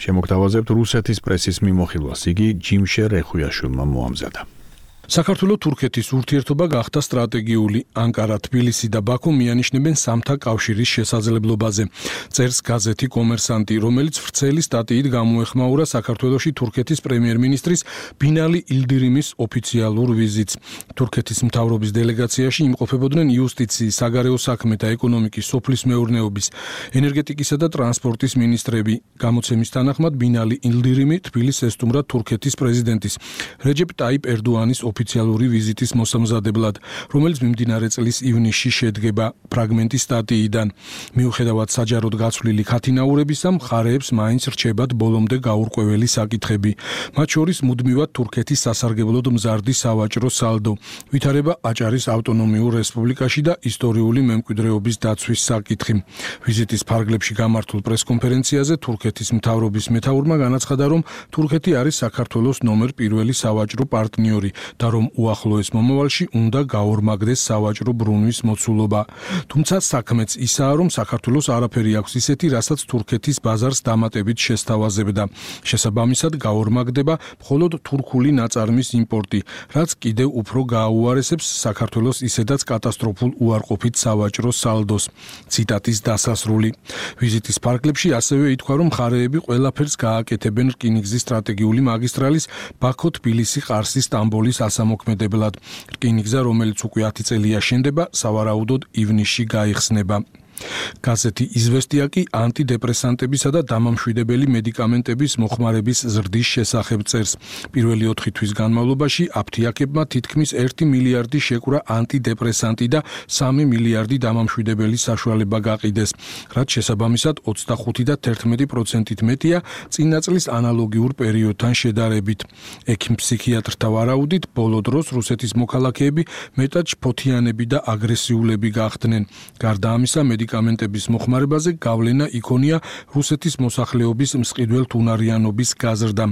შემოგთავაზებთ რუსეთის პრესის მიმოხილვას. იგი ჯიმშე რეხვიაშვილმა მოამზადა. საქართველოს თურქეთის ურთიერთობა გახდა სტრატეგიული. ანკარა, თბილისი და ბაქო მიანიშნებენ სამთა კავშირის შესაძლებლობაზე. წერს გაზეთი კომერსანტი, რომელიც ვრცელი სტატიით გამოეხმაურა საქართველოში თურქეთის პრემიერ-მინისტრის ბინალი ილდირიმის ოფიციალურ ვიზიტს. თურქეთის მთავრობის დელეგაციაში იმყოფებოდნენ იუსტიციის, საგარეო საქმეთა, ეკონომიკის, სოფლის მეურნეობის, ენერგეტიკისა და ტრანსპორტის მინისტრები. გამოცემის თანახმად ბინალი ილდირიმი თბილისს ესტუმრა თურქეთის პრეზიდენტის რეჯეპ ტაიპ ერდოანის ოფიციალური ვიზიტის მოსამზადებლად, რომელიც მიმდინარე წლის ივნისში შედგება. ფრაგმენტი სტატიიდან. მიუხედავად საჯაროდ გაცვლილი ქათინაურებისა, მხარეებს მაინც რჩებათ ბოლომდე გაურკვეველი საკითხები. მათ შორის მუდმივად თურქეთის სასარგებლოდ მზარდი სავაჭრო სალდო, ვითარება აჭარის ავტონომიურ რესპუბლიკაში და ისტორიული მემკვიდრეობის დაცვის საკითხი. ვიზიტის ფარგლებში გამართულ პრესკონფერენციაზე თურქეთის მთავრობის მეთაურმა განაცხადა, რომ თურქეთი არის საქართველოს ნომერ პირველი სავაჭრო პარტნიორი და რომ უახლოეს მომავალში უნდა გაორმაგდეს სავაჭრო ბრუნვის მოცულობა. თუმცა საქმეც ისაა, რომ საქართველოს არაფერი აქვს ისეთი, რასაც თურქეთის ბაზარს დამატებით შესთავაზებდა. შესაბამისად, გაორმაგდება მხოლოდ თურქული ნაწარმის იმპორტი, რაც კიდევ უფრო გააუარესებს საქართველოს ისედაც კატასტროფულ უარყოფით სავაჭრო სალდოს. ციტატის დასასრული. ვიზიტის ფარგლებში ასევე ითქვა, რომ მხარეები ყველაფერს გააკეთებენ რკინიგზის სტრატეგიული მაგისტრალის ბაქო-თბილისი-ყარსი-სტამბოლის ასამოქმედებლად. რკინიგზა, რომელიც უკვე ათი წელია შენდება, სავარაუდოდ ივნისში გაიხსნება. გაზეთი იზვესტია კი ანტიდეპრესანტებისა და დამამშვიდებელი მედიკამენტების მოხმარების ზრდის შესახებ წერს. პირველი ოთხი თვის განმავლობაში აფთიაქებმა თითქმის ერთი მილიარდი შეკვრა ანტიდეპრესანტი და სამი მილიარდი დამამშვიდებელი საშუალება გაყიდეს, რაც შესაბამისად ოცდახუთი და თერთმეტი პროცენტით მეტია წინა წლის ანალოგიურ პერიოდთან შედარებით. ექიმ-ფსიქიატრთა ვარაუდით, ბოლო დროს რუსეთის მოქალაქეები მეტად შფოთიანები და აგრესიულები გახდნენ. გარდა ამისა, მედიკამენტების მოხმარებაზე გავლენა იქონია რუსეთის მოსახლეობის მსყიდველთ უნარიანობის გაზრდამ.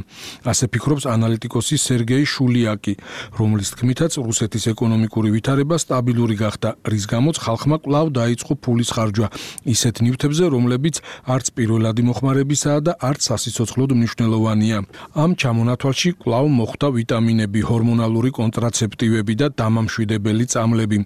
ასე ფიქრობს ანალიტიკოსი სერგეი შულიაკი, რომლის თქმითაც რუსეთის ეკონომიკური ვითარება სტაბილური გახდა, რის გამოც ხალხმა კვლავ დაიწყო ფულის ხარჯვა ისეთ ნივთებზე, რომლებიც არც პირველადი მოხმარებისაა და არც სასიცოცხლოდ მნიშვნელოვანია. ამ ჩამონათვალში კვლავ მოხვდა ვიტამინები, ჰორმონალური კონტრაცეპტივები და დამამშვიდებელი წამლები.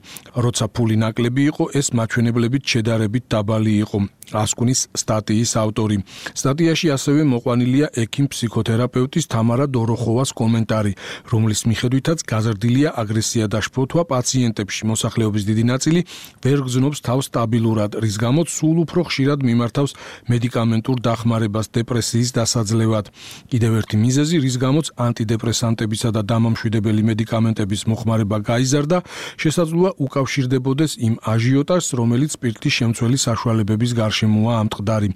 როცა ფული ნაკლები იყო, ეს მაჩვენებლებით შედარებით დაბალი იყო. ასკუნის სტატიის ავტორი. სტატიაში ასევე მოყვანილია ექიმ-ფსიქოთერაპევტის თამარა დოროხოვას კომენტარი, რომლის მიხედვითაც გაზრდილია აგრესია და შფოთვა პაციენტებში. მოსახლეობის დიდი ნაწილი ვერ გრძნობს თავს სტაბილურად, რის გამოც სულ უფრო ხშირად მიმართავს მედიკამენტურ დახმარებას დეპრესიის დასაძლევად. კიდევ ერთი მიზეზი, რის გამოც ანტიდეპრესანტებისა და დამამშვიდებელი მედიკამენტების მოხმარება გაიზარდა, შესაძლოა უკავშირდებოდეს იმ აჟიოტაჟს, რომელიც სპირტის შემცველი საშუალებების გარშემოა ამტყდარი.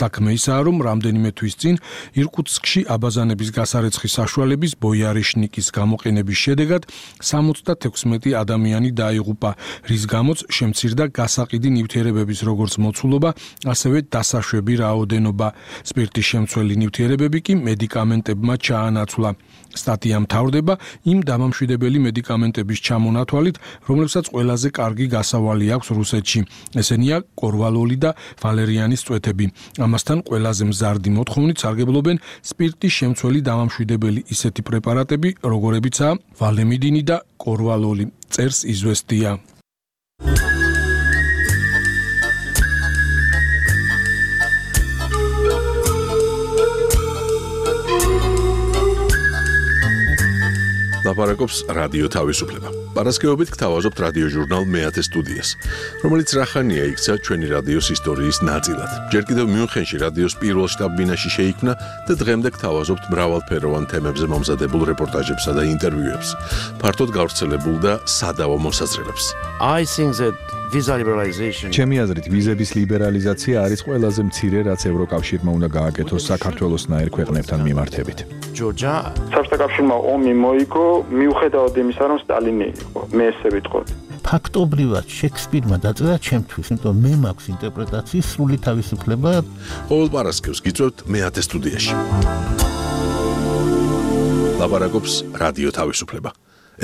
საქმე ისაა, რომ რამდენიმე თვის წინ ირკუტსკში აბაზანების გასარეცხი საშუალების ბოიარიშნიკის გამოყენების შედეგად სამოცდათექვსმეტი ადამიანი დაიღუპა, რის გამოც შემცირდა გასაყიდი ნივთიერებების როგორც მოცულობა, ასევე დასაშვები რაოდენობა. სპირტის შემცველი ნივთიერებები კი მედიკამენტებმა ჩაანაცვლა. სტატია მთავრდება იმ დამამშვიდებელი მედიკამენტების ჩამონათვალით, რომლებსაც ყველაზე კარგი გასავალი აქვს რუსეთში. ესენია კორვალოლი და ვალერიანის წვეთები. ამასთან ყველაზე მზარდი მოთხოვნით სარგებლობენ სპირტის შემცველი დამამშვიდებელი ისეთი პრეპარატები, როგორებიცაა ვალემიდინი და კორვალოლი, წერს იზვესტია. ლაპარაკობს რადიო თავისუფლება. პარასკევობით გთავაზობთ რადიო ჟურნალ მეათე სტუდიას, რომელიც რახანია იქცა ჩვენი რადიოს ისტორიის ნაწილად. ჯერ კიდევ მიუნხენში რადიოს პირველ შტაბ-ბინაში შეიქმნა და დღემდე გთავაზობთ მრავალფეროვან თემებზე მომზადებულ რეპორტაჟებსა და ინტერვიუებს, ფართოდ გავრცელებულ და სადავო მოსაზრებებს. I think that visa liberalization ჩემი აზრით ვიზების ლიბერალიზაცია არის ყველაზე მცირე, რაც ევროკავშირმა უნდა გააკეთოს საქართველოსნაირ ქვეყნებთან მიმართებით. Georgia საბჭოთა კავშირმა ომი მოიგო, მიუხედავად იმისა, რომ სტალინი იყო, მე ესე ვიტყოდი. ფაქტობრივად შექსპირმა დაწერა ჩემთვის, იმიტომ მე მაქვს ინტერპრეტაციის სრული თავისუფლება. ყოველ პარასკევს გიწევთ მეათე სტუდიაში. ლაპარაკობს რადიო თავისუფლება.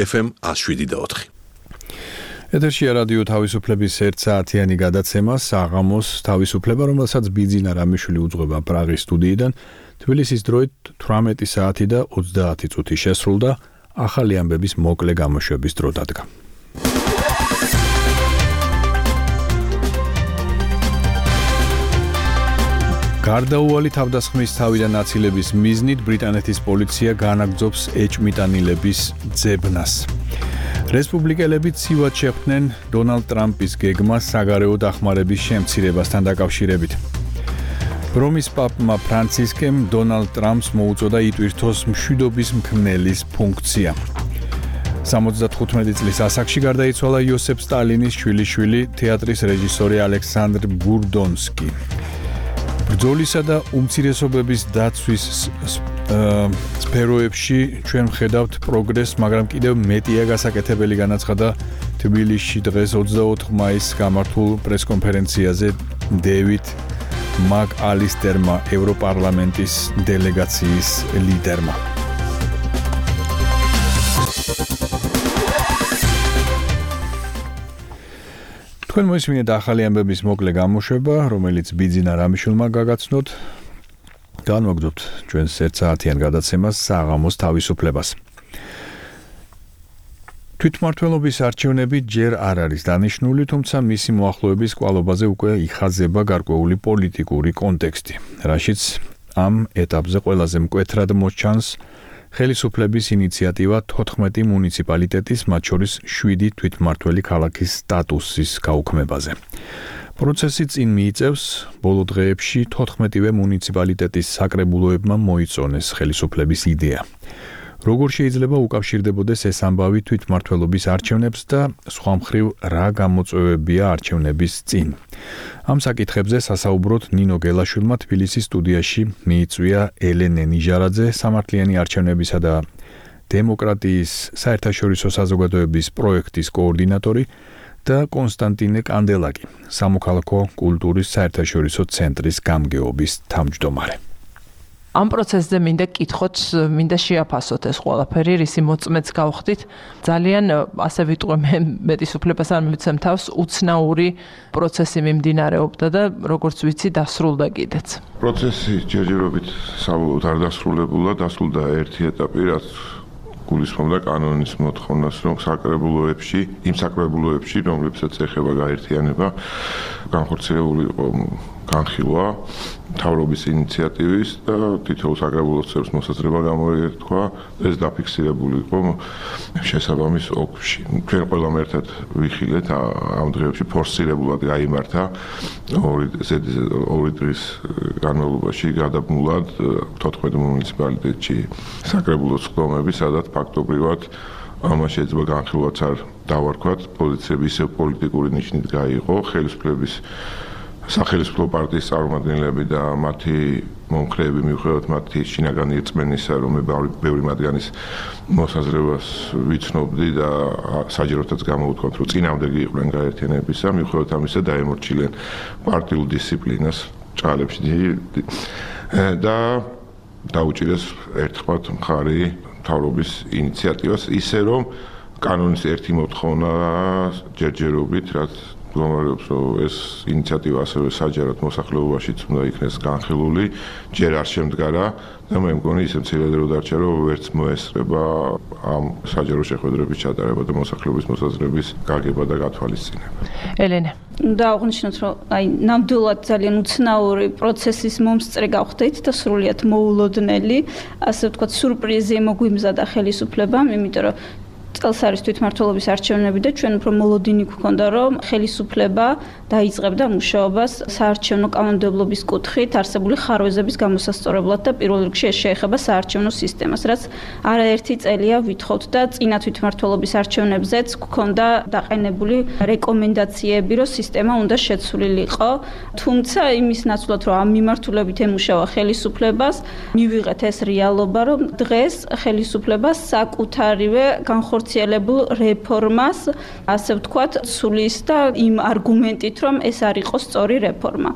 ეფ ემ one oh seven point four. ეთერშია რადიო თავისუფლების ერთ საათიანი გადაცემა საღამოს თავისუფლება, რომელსაც ბიძინა რამიშვილი უძღვება პრაღის სტუდიიდან. თბილისის დროით თვრამეტი საათი და ოცდაათი წუთი შესრულდა, ახალი ამბების მოკლე გამოშვების დრო დადგა. გარდაუვალი თავდასხმის თავიდან აცილების მიზნით ბრიტანეთის პოლიცია განაგრძობს ეჭმიტანილების ძებნას. რესპუბლიკელები ცივად შეხვდნენ დონალდ ტრამპის გეგმას საგარეო დახმარების შემცირებასთან დაკავშირებით. რომის პაპმა ფრანცისკემ დონალდ ტრამპს მოუწოდა იტვირთოს მშვიდობის მქმნელის ფუნქცია. სამოცდათხუთმეტი წლის ასაკში გარდაიცვალა იოსებ სტალინის შვილიშვილი, თეატრის რეჟისორი ალექსანდრ ბურდონსკი. ბრძოლისა და უმცირესობების დაცვის სფეროებში ჩვენ ვხედავთ პროგრესს, მაგრამ კიდევ მეტია გასაკეთებელი, განაცხადა თბილისში დღეს ოცდაოთხ მაისს გამართულ პრესკონფერენციაზე დევიდ მაკ-ალისტერმა, ევროპარლამენტის დელეგაციის ლიდერმა. თქვენ მოისმინეთ ახალი ამბების მოკლე გამოშვება, რომელიც ბიძინა რამიშვილმა გაგაცნოთ. განვაგრძობთ ჩვენს ერთ საათიან გადაცემას საღამოს თავისუფლებას. თვითმმართველობის არჩევნები ჯერ არ არის დანიშნული, თუმცა მისი მოახლოების კვალობაზე უკვე იხაზება გარკვეული პოლიტიკური კონტექსტი, რაშიც ამ ეტაპზე ყველაზე მკვეთრად მოჩანს ხელისუფლების ინიციატივა თოთხმეტი მუნიციპალიტეტის, მათ შორის შვიდი თვითმმართველი ქალაქის სტატუსის გაუქმებაზე. პროცესი წინ მიიწევს, ბოლო დღეებში თოთხმეტივე მუნიციპალიტეტის საკრებულოებმა მოიწონეს ხელისუფლების იდეა. როგორ შეიძლება უკავშირდებოდეს ეს ამბავი თვითმმართველობის არჩევნებს და სხვა მხრივ რა გამოწვევებია არჩევნების წინ. ამ საკითხებზე სასაუბროდ ნინო გელაშვილმა თბილისის სტუდიაში მიიწვია ელენე ნიჟარაძე, სამართლიანი არჩევნებისა და დემოკრატიის საერთაშორისო საზოგადოების პროექტის კოორდინატორი და კონსტანტინე კანდელაკი, სამოქალაქო კულტურის საერთაშორისო ცენტრის გამგეობის თავმჯდომარე. ამ პროცესზე მინდა კითხოთ, მინდა შეაფასოთ ეს ყველაფერი, რისი მოწმეც გავხდით. ძალიან ასე ვიტყვე მე მეტის უფლებას არ მივცემ თავს, უცნაური პროცესი მიმდინარეობდა და როგორც ვიცი, დასრულდა კიდეც. პროცესი ჯერჯერობით საბოლოოდ არ დასრულებულა, დასრულდა ერთი ეტაპი, რაც გულისხმობდა კანონის მოთხოვნას, რომ საკრებულოებში, იმ საკრებულოებში, რომლებსაც ეხება გაერთიანება, განხორციელებული იყო განხილვა მთავრობის ინიციატივის და თითოეულ საკრებულოს წევრს მოსაზრება გამოეთქვა, ეს დაფიქსირებული იყო შესაბამის ოლქში. ჩვენ ყველამ ერთად ვიხილეთ ამ დღეებში ფორსირებულად გაიმართა ორი ორი დღის განმავლობაში გადაბმულად თოთხმეტ მუნიციპალიტეტში საკრებულოს სხდომები, სადაც ფაქტობრივად ამას შეიძლება განხილვაც არ დავარქვათ, პოზიციები ისევ პოლიტიკური ნიშნით გაიყო, ხელისუფლების სახელმწიფო პარტიის წარმომადგენლები და მათი მომხრეები მიუხედავად მათი შინაგანი რწმენისა, რომ მე ბევრი მათგანის მოსაზრებას ვიცნობდი და საჯაროდაც გამოვთქვათ, რომ წინამდეგი იყვნენ გაერთიანებისა, მიუხედავად ამისა დაემორჩილნენ პარტიულ დისციპლინას ჭალებში და დაუჭირეს ერთხმად მხარი მთავრობის ინიციატივას, ისე რომ კანონის ერთი მოთხოვნა ჯერჯერობით, რაც მდგომარეობს, რომ ეს ინიციატივა ასევე საჯაროდ მოსახლეობაშიც უნდა იქნეს განხილული, ჯერ არ შემდგარა და მე მგონი ისე მცირედ რო დარჩა, რომ ვერც მოესწრება ამ საჯარო შეხვედრების ჩატარება და მოსახლეობის მოსაზრების გაგება და გათვალისწინება. ელენე, და აღნიშნოთ, რომ აი ნამდვილად ძალიან უცნაური პროცესის მომსწრე გავხდით და სრულიად მოულოდნელი, ასე ვთქვათ, სურპრიზი მოგვიმზადა ხელისუფლებამ, იმიტომ რომ წელს არის თვითმმართველობის არჩევნები და ჩვენ უფრო მოლოდინი გვქონდა, რომ ხელისუფლება დაიწყებდა მუშაობას საარჩევნო კანონმდებლობის კუთხით არსებული ხარვეზების გამოსასწორებლად და პირველ რიგში ეს შეეხება საარჩევნო სისტემას, რაც არაერთი წელია ვითხოვთ და წინა თვითმმართველობის არჩევნებზეც გვქონდა დაყენებული რეკომენდაციები, რომ სისტემა უნდა შეცვლილიყო. თუმცა იმის ნაცვლად, რომ ამ მიმართულებით ემუშავა ხელისუფლებას, მივიღეთ ეს რეალობა, რომ დღეს ხელისუფლებას საკუთარივე განხორციელებული განხორციელებულ რეფორმას, ასე ვთქვათ, სulis და იმ არგუმენტით, რომ ეს არ იყოს სწორი რეფორმა.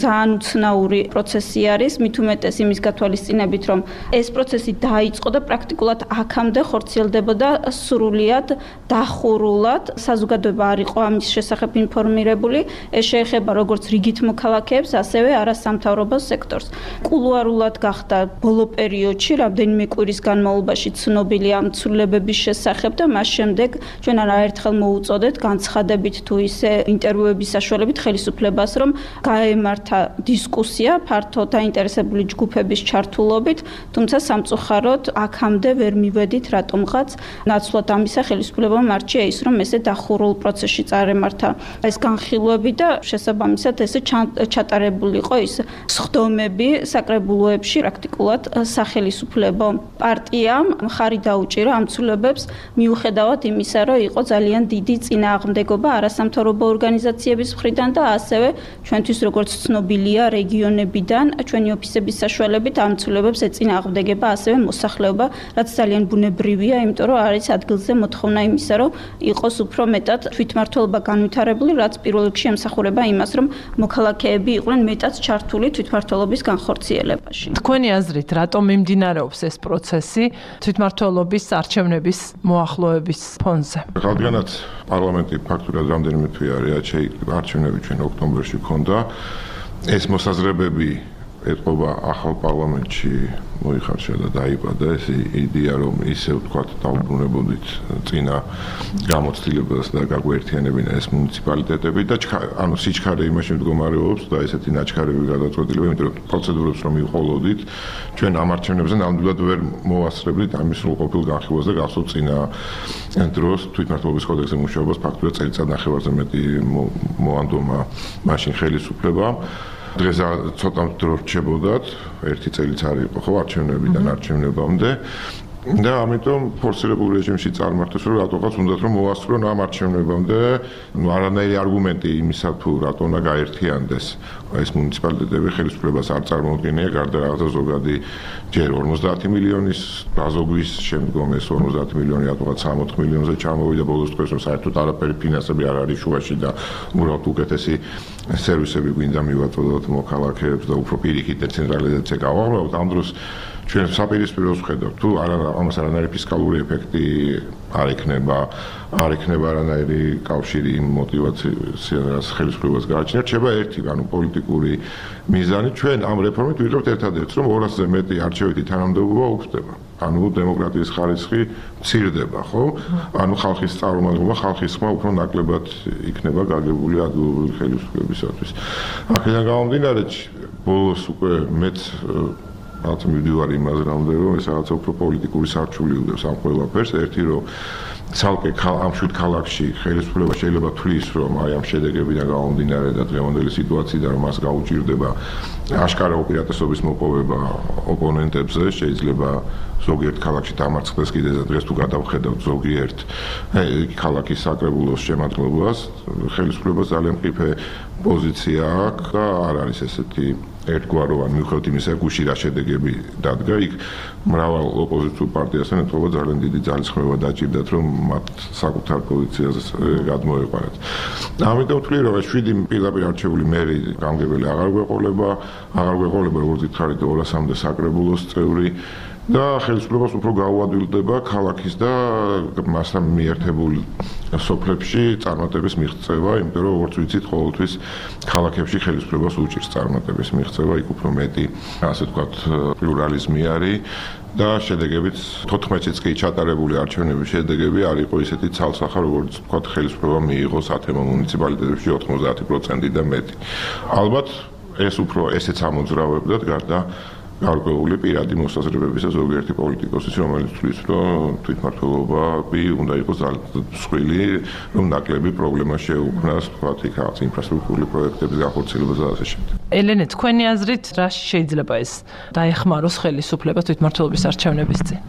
ძალიან უცნაური პროცესი არის, მით უმეტეს იმის გათვალისწინებით, რომ ეს პროცესი დაიწყო და პრაქტიკულად აქამდე ხორციელდებოდა სრულიად დახურულად. საზოგადოება არ იყო ამის შესახებ ინფორმირებული. ეს შეეხება როგორც რიგით მოქალაქეებს, ასევე არასამთავრობო სექტორს. კულუარულად გახდა ბოლო პერიოდში, რამდენიმე კვირის განმავლობაში ცნობილი ამ ცვლილებების შესახებ და მას შემდეგ ჩვენ არაერთხელ მოუწოდეთ განცხადებით თუ ისე ინტერვიუების საშუალებით ხელისუფლებას, რომ გაემართა დისკუსია ფართო დაინტერესებული ჯგუფების ჩართულობით, თუმცა სამწუხაროდ აქამდე ვერ მივედით რატომღაც ნაცვლად ამისა ხელისუფლებამ არჩია ის, რომ ესე დახურულ პროცესში წარემართა ეს განხილვები და შესაბამისად ესე ჩატარებული იყო ის სხდომები საკრებულოებში პრაქტიკულად სახელისუფლებო პარტიამ მხარი დაუჭირა ამ ცვლილებებს მიუხედავად იმისა, რომ იყო ძალიან დიდი წინააღმდეგობა არასამთავრობო ორგანიზაციების მხრიდან და ასევე ჩვენთვის როგორც ცნობილია რეგიონებიდან ჩვენი ოფისების საშუალებით ამ ცვლილებებს ეწინააღმდეგება ასევე მოსახლეობა, რაც ძალიან ბუნებრივია, იმიტომ რომ არის ადგილზე მოთხოვნა იმისა, რომ იყოს უფრო მეტად თვითმმართველობა განვითარებული, რაც პირველ რიგში ემსახურება იმას, რომ მოქალაქეები იყვნენ მეტად ჩართული თვითმმართველობის განხორციელებაში. თქვენი აზრით, რატომ მიმდინარეობს ეს პროცესი თვითმმართველობის არჩევნების მოახლოების ფონზე? რადგანაც პარლამენტი ფაქტურად რამდენიმე თვე არის შეიკრიბა არჩევნები ჩვენ ოქტომბერში ქონდა, ეს მოსაზრებები ეთყობა ახალ პარლამენტში მოიხარშა და დაიბადა ეს იდეა, რომ ისე ვთქვათ დაუბრუნებოდით წინა გამოცდილებას და გაგვერთიანებინა ეს მუნიციპალიტეტები და ანუ სიჩქარე იმაში მდგომარეობს და ესეთი ნაჩქარები გადაწყვეტილება, იმიტომ რომ პროცედურებს რომ მივყოლოდით, ჩვენ ამ არჩევნებზე ნამდვილად ვერ მოვასწრებდით ამის სრულყოფილ განხილვას და გახსოვთ წინა დროს თვითმმართველობის კოდექსზე მუშაობას ფაქტურად წელიწად ნახევარზე მეტი მოანდომა მაშინ ხელისუფლებამ. დღეს ცოტა დრო რჩებოდათ, ერთი წელიც არ იყო ხო არჩევნებიდან არჩევნებამდე და ამიტომ ფორსირებულ რეჟიმში წარმართეს, რომ რატოღაც უნდათ რომ მოვასწრონ ამ არჩევნებამდე, ну არანაირი არგუმენტი იმისა თუ რატო უნდა გაერთიანდეს ეს მუნიციპალიტეტები ხელისუფლებას არ წარმოუდგენია, გარდა რაღაცა ზოგადი ჯერ ორმოცდაათი მილიონის დაზოგვის შემდგომ ეს ორმოცდაათი მილიონი რატოღაც სამოთხ მილიონზე ჩამოვიდა ბოლოს დღეს, რომ საერთოდ არაფერი ფინანსები არ არის შუაში და უბრალოდ უკეთესი სერვისები გვინდა მივაწოდოთ მოქალაქეებს და უფრო პირიქით დეცენტრალიზაცია გავაღწევთ. ამ დროს ჩვენ საპირისპიროს ვხედავთ, თუ არა ამას არანაირი ფისკალური ეფექტი არ ექნება, არ ექნება არანაირი კავშირი იმ мотивაციას ხელისუფლებას გააჩნია, რჩება ერთი, ანუ პოლიტიკური მიზანი. ჩვენ ამ რეფორმით ვიღებთ ერთადერთს, რომ ორასზე მეტი არჩევითი თანამდებობა უხდება. ანუ დემოკრატიის ხარისხი მცირდება, ხო? ანუ ხალხის წარმომადგენლობა, ხალხის ხმა უფრო ნაკლებად იქნება გაგებული ადგილობრივი ხელისუფლებისათვის. აქედან გამომდინარე, ბოლოს უკვე მეც რაც მივდივარ იმაზე რამდენი რომ ეს რაღაცა უფრო პოლიტიკური სარჩული უდევს ამ ყველაფერს. ერთი რომ ცალკე ამ შვიდ ქალაქში ხელისუფლება შეიძლება თვლის, რომ აი ამ შედეგებიდან გამომდინარე და დღევანდელი სიტუაციიდან რომ მას გაუჭირდება აშკარა უპირატესობის მოპოვება ოპონენტებზე, შეიძლება ზოგიერთ ქალაქში დამარცხდეს კიდეც და დღეს თუ გადავხედავთ ზოგიერთ ქალაქის საკრებულოს შემადგენლობას, ხელისუფლებას ძალიან მყიფე პოზიცია აქვს და არ არის ესეთი ერთგვაროვანი, მიუხედავად იმისა, გუში რა შედეგები დადგა, იქ მრავალ ოპოზიციურ პარტიასთან ეთყობა ძალიან დიდი ძალისხმევა დაჭირდათ, რომ მათ საკუთარ პოზიციაზე გადმოეყარათ. ამიტომ ვთვლი, რომ ეს შვიდი პირდაპირ არჩეული მერი გამგებელი აღარ გვეყოლება, აღარ გვეყოლება, როგორც ითხარით, ორასამდე საკრებულოს წევრი და ხელისუფლებას უფრო გაუადვილდება ქალაქის და მასთან მიერთებულ სოფლებში წარმატების მიღწევა, იმიტომ რომ როგორც ვიცით, ყოველთვის ქალაქებში ხელისუფლებას უჭირს წარმატების მიღწევა, იქ უფრო მეტი, ასე ვთქვათ, პლურალიზმი არის და შედეგებიც თოთხმეტიც კი ჩატარებული არჩევნების შედეგები არ იყო ისეთი ცალსახა, როგორც ვთქვათ, ხელისუფლება მიიღო სათემო მუნიციპალიტეტებში ოთხმოცდაათი პროცენტი და მეტი. ალბათ ეს უფრო ესეც ამოძრავებდათ გარდა გარკვეული პირადი მოსაზრებებისა ზოგიერთი პოლიტიკოსის, რომელიც თვლის, რომ თვითმმართველობები უნდა იყოს მსხვილი, რომ ნაკლები პრობლემა შეუქმნას, თქვათ, იქ რაღაც ინფრასტრუქტურული პროექტების განხორციელებას და ასე შემდეგ. ელენე, თქვენი აზრით, რა შეიძლება ეს დაეხმაროს ხელისუფლებას თვითმმართველობის არჩევნების წინ?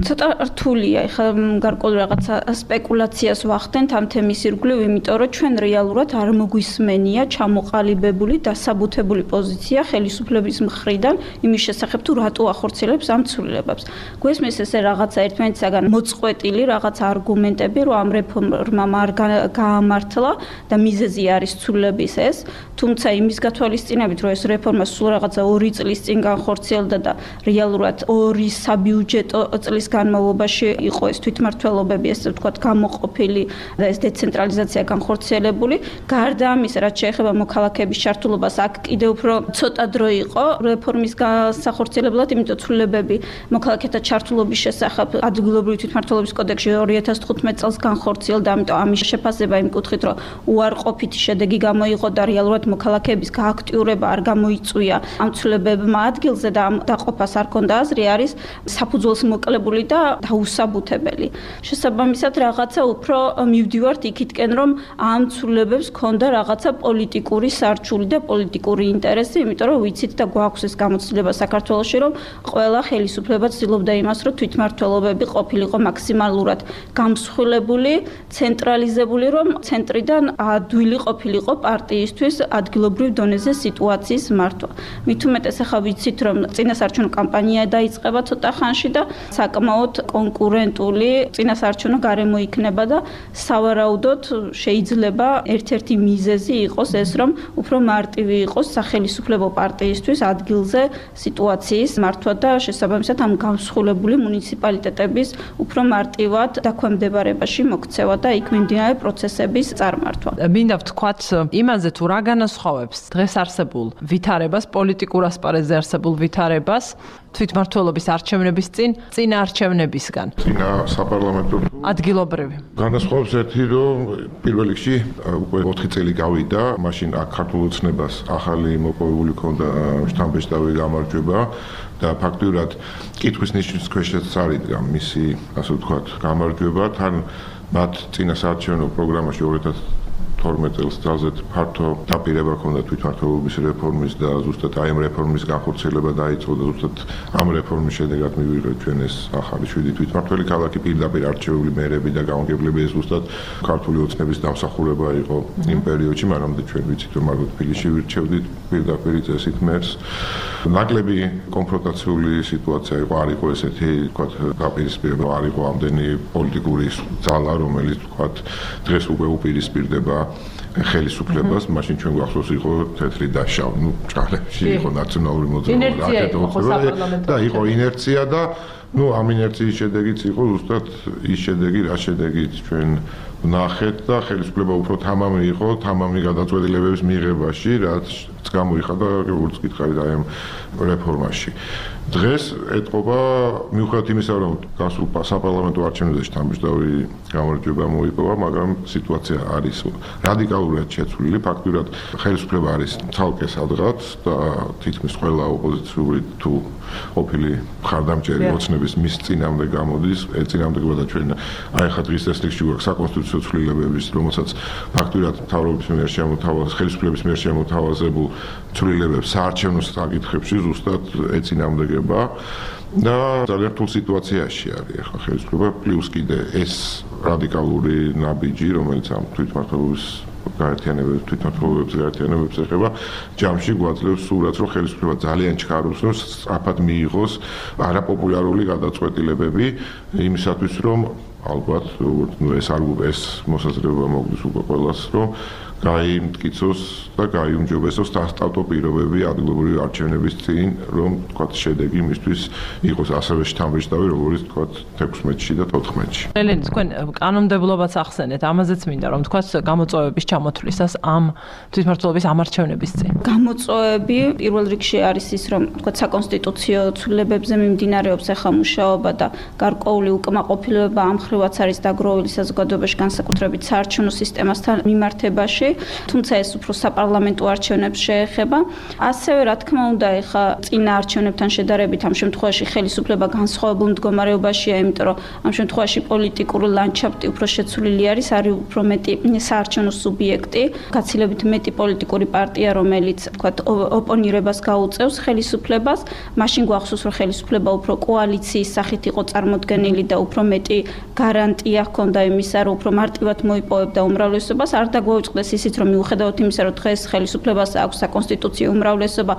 ცოტა რთულია, ეხლა გარკვეული რაღაცა სპეკულაციას ვახდენთ ამ თემის ირგვლივ, იმიტომ რომ ჩვენ რეალურად არ მოგვისმენია ჩამოყალიბებული, დასაბუთებული პოზიცია ხელისუფლების მხრიდან იმის შესახებ, თუ რატო ახორციელებს ამ ცვლილებებს. გვესმის ესე რაღაცა ერთმანეთისაგან მოწყვეტილი რაღაცა არგუმენტები, რომ ამ რეფორმამ არ გაამართლა და მიზეზი არის ცვლილების ეს, თუმცა იმის გათვალისწინებით, რომ ეს რეფორმა სულ რაღაცა ორი წლის წინ განხორციელდა და რეალურად ორი საბიუჯეტო წლის განმავლობაში იყო ეს თვითმმართველობები, ესე ვთქვათ, გამოყოფილი და ეს დეცენტრალიზაცია განხორციელებული. გარდა ამისა, რაც შეეხება მოქალაქეების ჩართულობას, აქ კიდევ უფრო ცოტა დრო იყო რეფორმის განსახორციელებლად, იმიტომ ცვლილებები მოქალაქეთა ჩართულობის შესახებ ადგილობრივი თვითმმართველობის კოდექსში ორი ათას თხუთმეტ წელს განხორციელდა, ამიტომ ამის შეფასება იმ კუთხით, რომ უარყოფითი შედეგი გამოიღო და რეალურად მოქალაქეების გააქტიურება არ გამოიწვია ამ ცვლილებებმა ადგილზე და ამ დაყოფას არ ქონდა აზრი, არის საფუძველს მოკლებული და დაუსაბუთებელი. შესაბამისად, რაღაცა უფრო მივდივართ იქითკენ, რომ ამ ცვლილებებს ქონდა რაღაცა პოლიტიკური სარჩული და პოლიტიკური ინტერესი, იმიტომ რომ ვიცით და გვაქვს ეს გამოცდილება საქართველოში, რომ ყველა ხელისუფლება ცდილობდა იმას, რომ თვითმმართველობები ყოფილიყო მაქსიმალურად გამსხვილებული, ცენტრალიზებული, რომ ცენტრიდან ადვილი ყოფილიყო პარტიისთვის ადგილობრივ დონეზე სიტუაციის მართვა. მით უმეტეს ახლა ვიცით, რომ წინასაარჩევნო კამპანია დაიწყება ცოტა ხანში და საკმაოდ კონკურენტული წინასაარჩევნო გარემო იქნება და სავარაუდოდ შეიძლება ერთ-ერთი მიზეზი იყოს ეს, რომ უფრო მარტივი იყოს სახელისუფლებო პარტიისთვის ადგილზე სიტუაციის მართვა და შესაბამისად ამ გამსხვილებული მუნიციპალიტეტების უფრო მარტივად დაქვემდებარებაში მოქცევა და იქ მიმდინარე პროცესების წარმართვა. მინდა ვთქვათ იმაზე, თუ რა განასხვავებს დღეს არსებულ ვითარებას, პოლიტიკურ ასპარეზზე არსებულ ვითარებას თვითმმართველობის არჩევნების წინ, წინა არჩევნებისგან. წინა საპარლამენტო ადგილობრივი. განასხვავებს ერთი, რომ პირველ რიგში უკვე ოთხი წელი გავიდა, მაშინ აქ ქართულ ოცნებას ახალი მოპოვებული ქონდა შთამბეჭდავი გამარჯვება და ფაქტურად კითხვის ნიშნის ქვეშაც წარიდგა მისი, ასე ვთქვათ, გამარჯვება, თან მათ წინა საარჩევნო პროგრამაში ორი ათას თორმეტ წელს ძალზედ ფართო დაპირება ჰქონდა თვითმმართველობის რეფორმის და ზუსტად აი ამ რეფორმის განხორციელება დაიწყო და ზუსტად ამ რეფორმის შედეგად მივიღეთ ჩვენ ეს ახალი შვიდი თვითმმართველი ქალაქი, პირდაპირ არჩეული მერები და გამგებლები, ეს ზუსტად ქართული ოცნების დამსახურება იყო იმ პერიოდში, მანამდე ჩვენ ვიცით, რომ მარგოთ თბილისში ვირჩევდით პირდაპირ წესით მერს. ნაკლები კონფრონტაციული სიტუაცია იყო, არ იყო ესეთი, ვთქვათ, დაპირისპირება, არ იყო ამდენი პოლიტიკური ძალა, რომელიც ვთქვათ, დღეს უკვე უპირისპირდება ხელისუფლებას, მაშინ ჩვენ გვახსოვს იყო თეთრი და შავი, ну, ჭალებში იყო ნაციონალური მოძრაობა, და იყო ინერცია და ну, ამ ინერციის შედეგიც იყო ზუსტად ის შედეგი, რა შედეგით ჩვენ ვნახეთ და ხელისუფლება უფრო თამამი იყო, თამამი გადაწყვეტილებების მიღებაში, რაც გამოიხადა როგორც გითხარით აი ამ რეფორმაში. დღეს ეთყობა მიუხედავად იმისა, რომ გასულ საპარლამენტო არჩევნებზე შთამბეჭდავი გამარჯვება მოიპოვა, მაგრამ სიტუაცია არის რადიკალურად შეცვლილი. ფაქტურად ხელისუფლება არის ცალკე სადღაც და თითქმის ყველა ოპოზიციური თუ ყოფილი მხარდამჭერი ოცნების მის წინამდე გამოდის, წინამდებოდა ჩვენ აი ხა დღის წესრიგში გვაქვს საკონსტიტუციო ცვლილებების, რომელსაც ფაქტურად მთავრობის მიერ შემოთავაზ, ხელისუფლების მიერ შემოთავაზებულ ცვლილებებს საარჩევნო საკითხებში ზუსტად ეწინააღმდეგება და ძალიან რთულ სიტუაციაში არის ახლა ხელისუფლება, პლუს კიდე ეს რადიკალური ნაბიჯი, რომელიც ამ თვითმმართველობის გაერთიანებებს, თვითმმართველობებს გაერთიანებებს ეხება, ჯამში გვაძლევს სურათს, რომ ხელისუფლება ძალიან ჩქარობს, რომ სწრაფად მიიღოს არაპოპულარული გადაწყვეტილებები იმისათვის, რომ ალბათ, როგორც ნუ ეს არ ეს მოსაზრება მოგდის უკვე ყველას, რომ გაიმტკიცოს და გაიუმჯობესოს სასტარტო პირობები ადგილობრივი არჩევნების წინ, რომ თქვათ შედეგი მისთვის იყოს ასევე შთამბეჭდავი, როგორც თქვათ თექვსმეტში და თოთხმეტში. ელენე, თქვენ კანონმდებლობაც ახსენეთ, ამაზეც მინდა რომ თქვათ გამოწვევების ჩამოთვლისას ამ თვითმმართველობის ამარჩევნების წინ. გამოწვევები პირველ რიგში არის ის, რომ თქვათ საკონსტიტუციო ცვლილებებზე მიმდინარეობს ახლა მუშაობა და გარკვეული უკმაყოფილება ამ ხრივაც არის დაგროვილი საზოგადოებაში, განსაკუთრებით საარჩევნო სისტემასთან მიმართებაში. თუმცა ეს უფრო საპარლამენტო არჩევნებს შეეხება. ასევე რა თქმა უნდა, ეხა წინა არჩევნებთან შედარებით ამ შემთხვევაში ხელისუფლება განსხვავებულ მდგომარეობაშია, იმიტომ რომ ამ შემთხვევაში პოლიტიკური ლანდშაფტი უფრო შეცვლილი არის, არის უფრო მეტი საარჩევნო სუბიექტი, გაცილებით მეტი პოლიტიკური პარტია, რომელიც თქვათ ოპონირებას გაუწევს ხელისუფლებას, მაშინ გვახსოვს, რომ ხელისუფლება უფრო კოალიციის სახით იყო წარმოდგენილი და უფრო მეტი გარანტია ჰქონდა იმისა, რომ უფრო მარტივად მოიპოვებდა უმრავლესობას. არ დაგვაუწყდეს ისიც, რომ მიუხედავად იმისა, რომ დღეს ხელისუფლებას აქვს საკონსტიტუციო უმრავლესობა,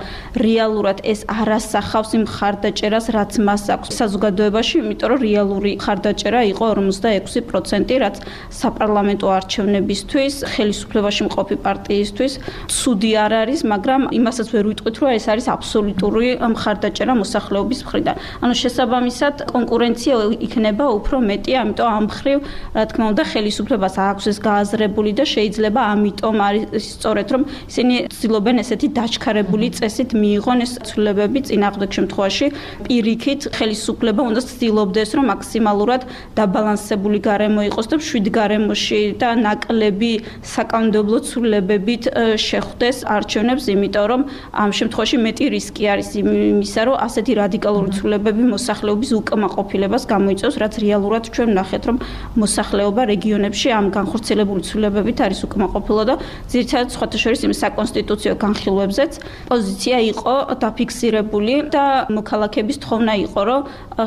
რეალურად ეს არ ასახავს იმ მხარდაჭერას, რაც მას აქვს საზოგადოებაში, იმიტომ რომ რეალური მხარდაჭერა იყო ორმოცდაექვსი პროცენტი, რაც საპარლამენტო არჩევნებისთვის, ხელისუფლებაში მყოფი პარტიისთვის ცუდი არ არის, მაგრამ იმასაც ვერ ვიტყვით, რომ ეს არის აბსოლუტური მხარდაჭერა მოსახლეობის მხრიდან. ანუ შესაბამისად, კონკურენცია იქნება უფრო მეტი, ამიტომ ამ მხრივ, რა თქმა უნდა, ხელისუფლებას აქვს ეს გააზრებული და შეიძლება ამიტომ არის სწორედ, რომ ისინი ცდილობენ ესეთი დაჩქარებული წესით მიიღონ ეს ცვლილებები წინააღმდეგ შემთხვევაში პირიქით ხელისუფლება უნდა ცდილობდეს, რომ მაქსიმალურად დაბალანსებული გარემო იყოს და შვიდ გარემოში და ნაკლები საკანონმდებლო ცვლილებებით შეხვდეს არჩევნებს, იმიტომ რომ ამ შემთხვევაში მეტი რისკი არის იმისა, რომ ასეთი რადიკალური ცვლილებები მოსახლეობის უკმაყოფილებას გამოიწვევს, რაც რეალურად ჩვენ ვნახეთ, რომ მოსახლეობა რეგიონებში ამ განხორციელებული ცვლილებებით არის უკმაყოფილო და ძირითადად სხვათა შორის იმ საკონსტიტუციო განხილვებზეც პოზიცია იყო დაფიქსირებული და მოქალაქეების თხოვნა იყო, რომ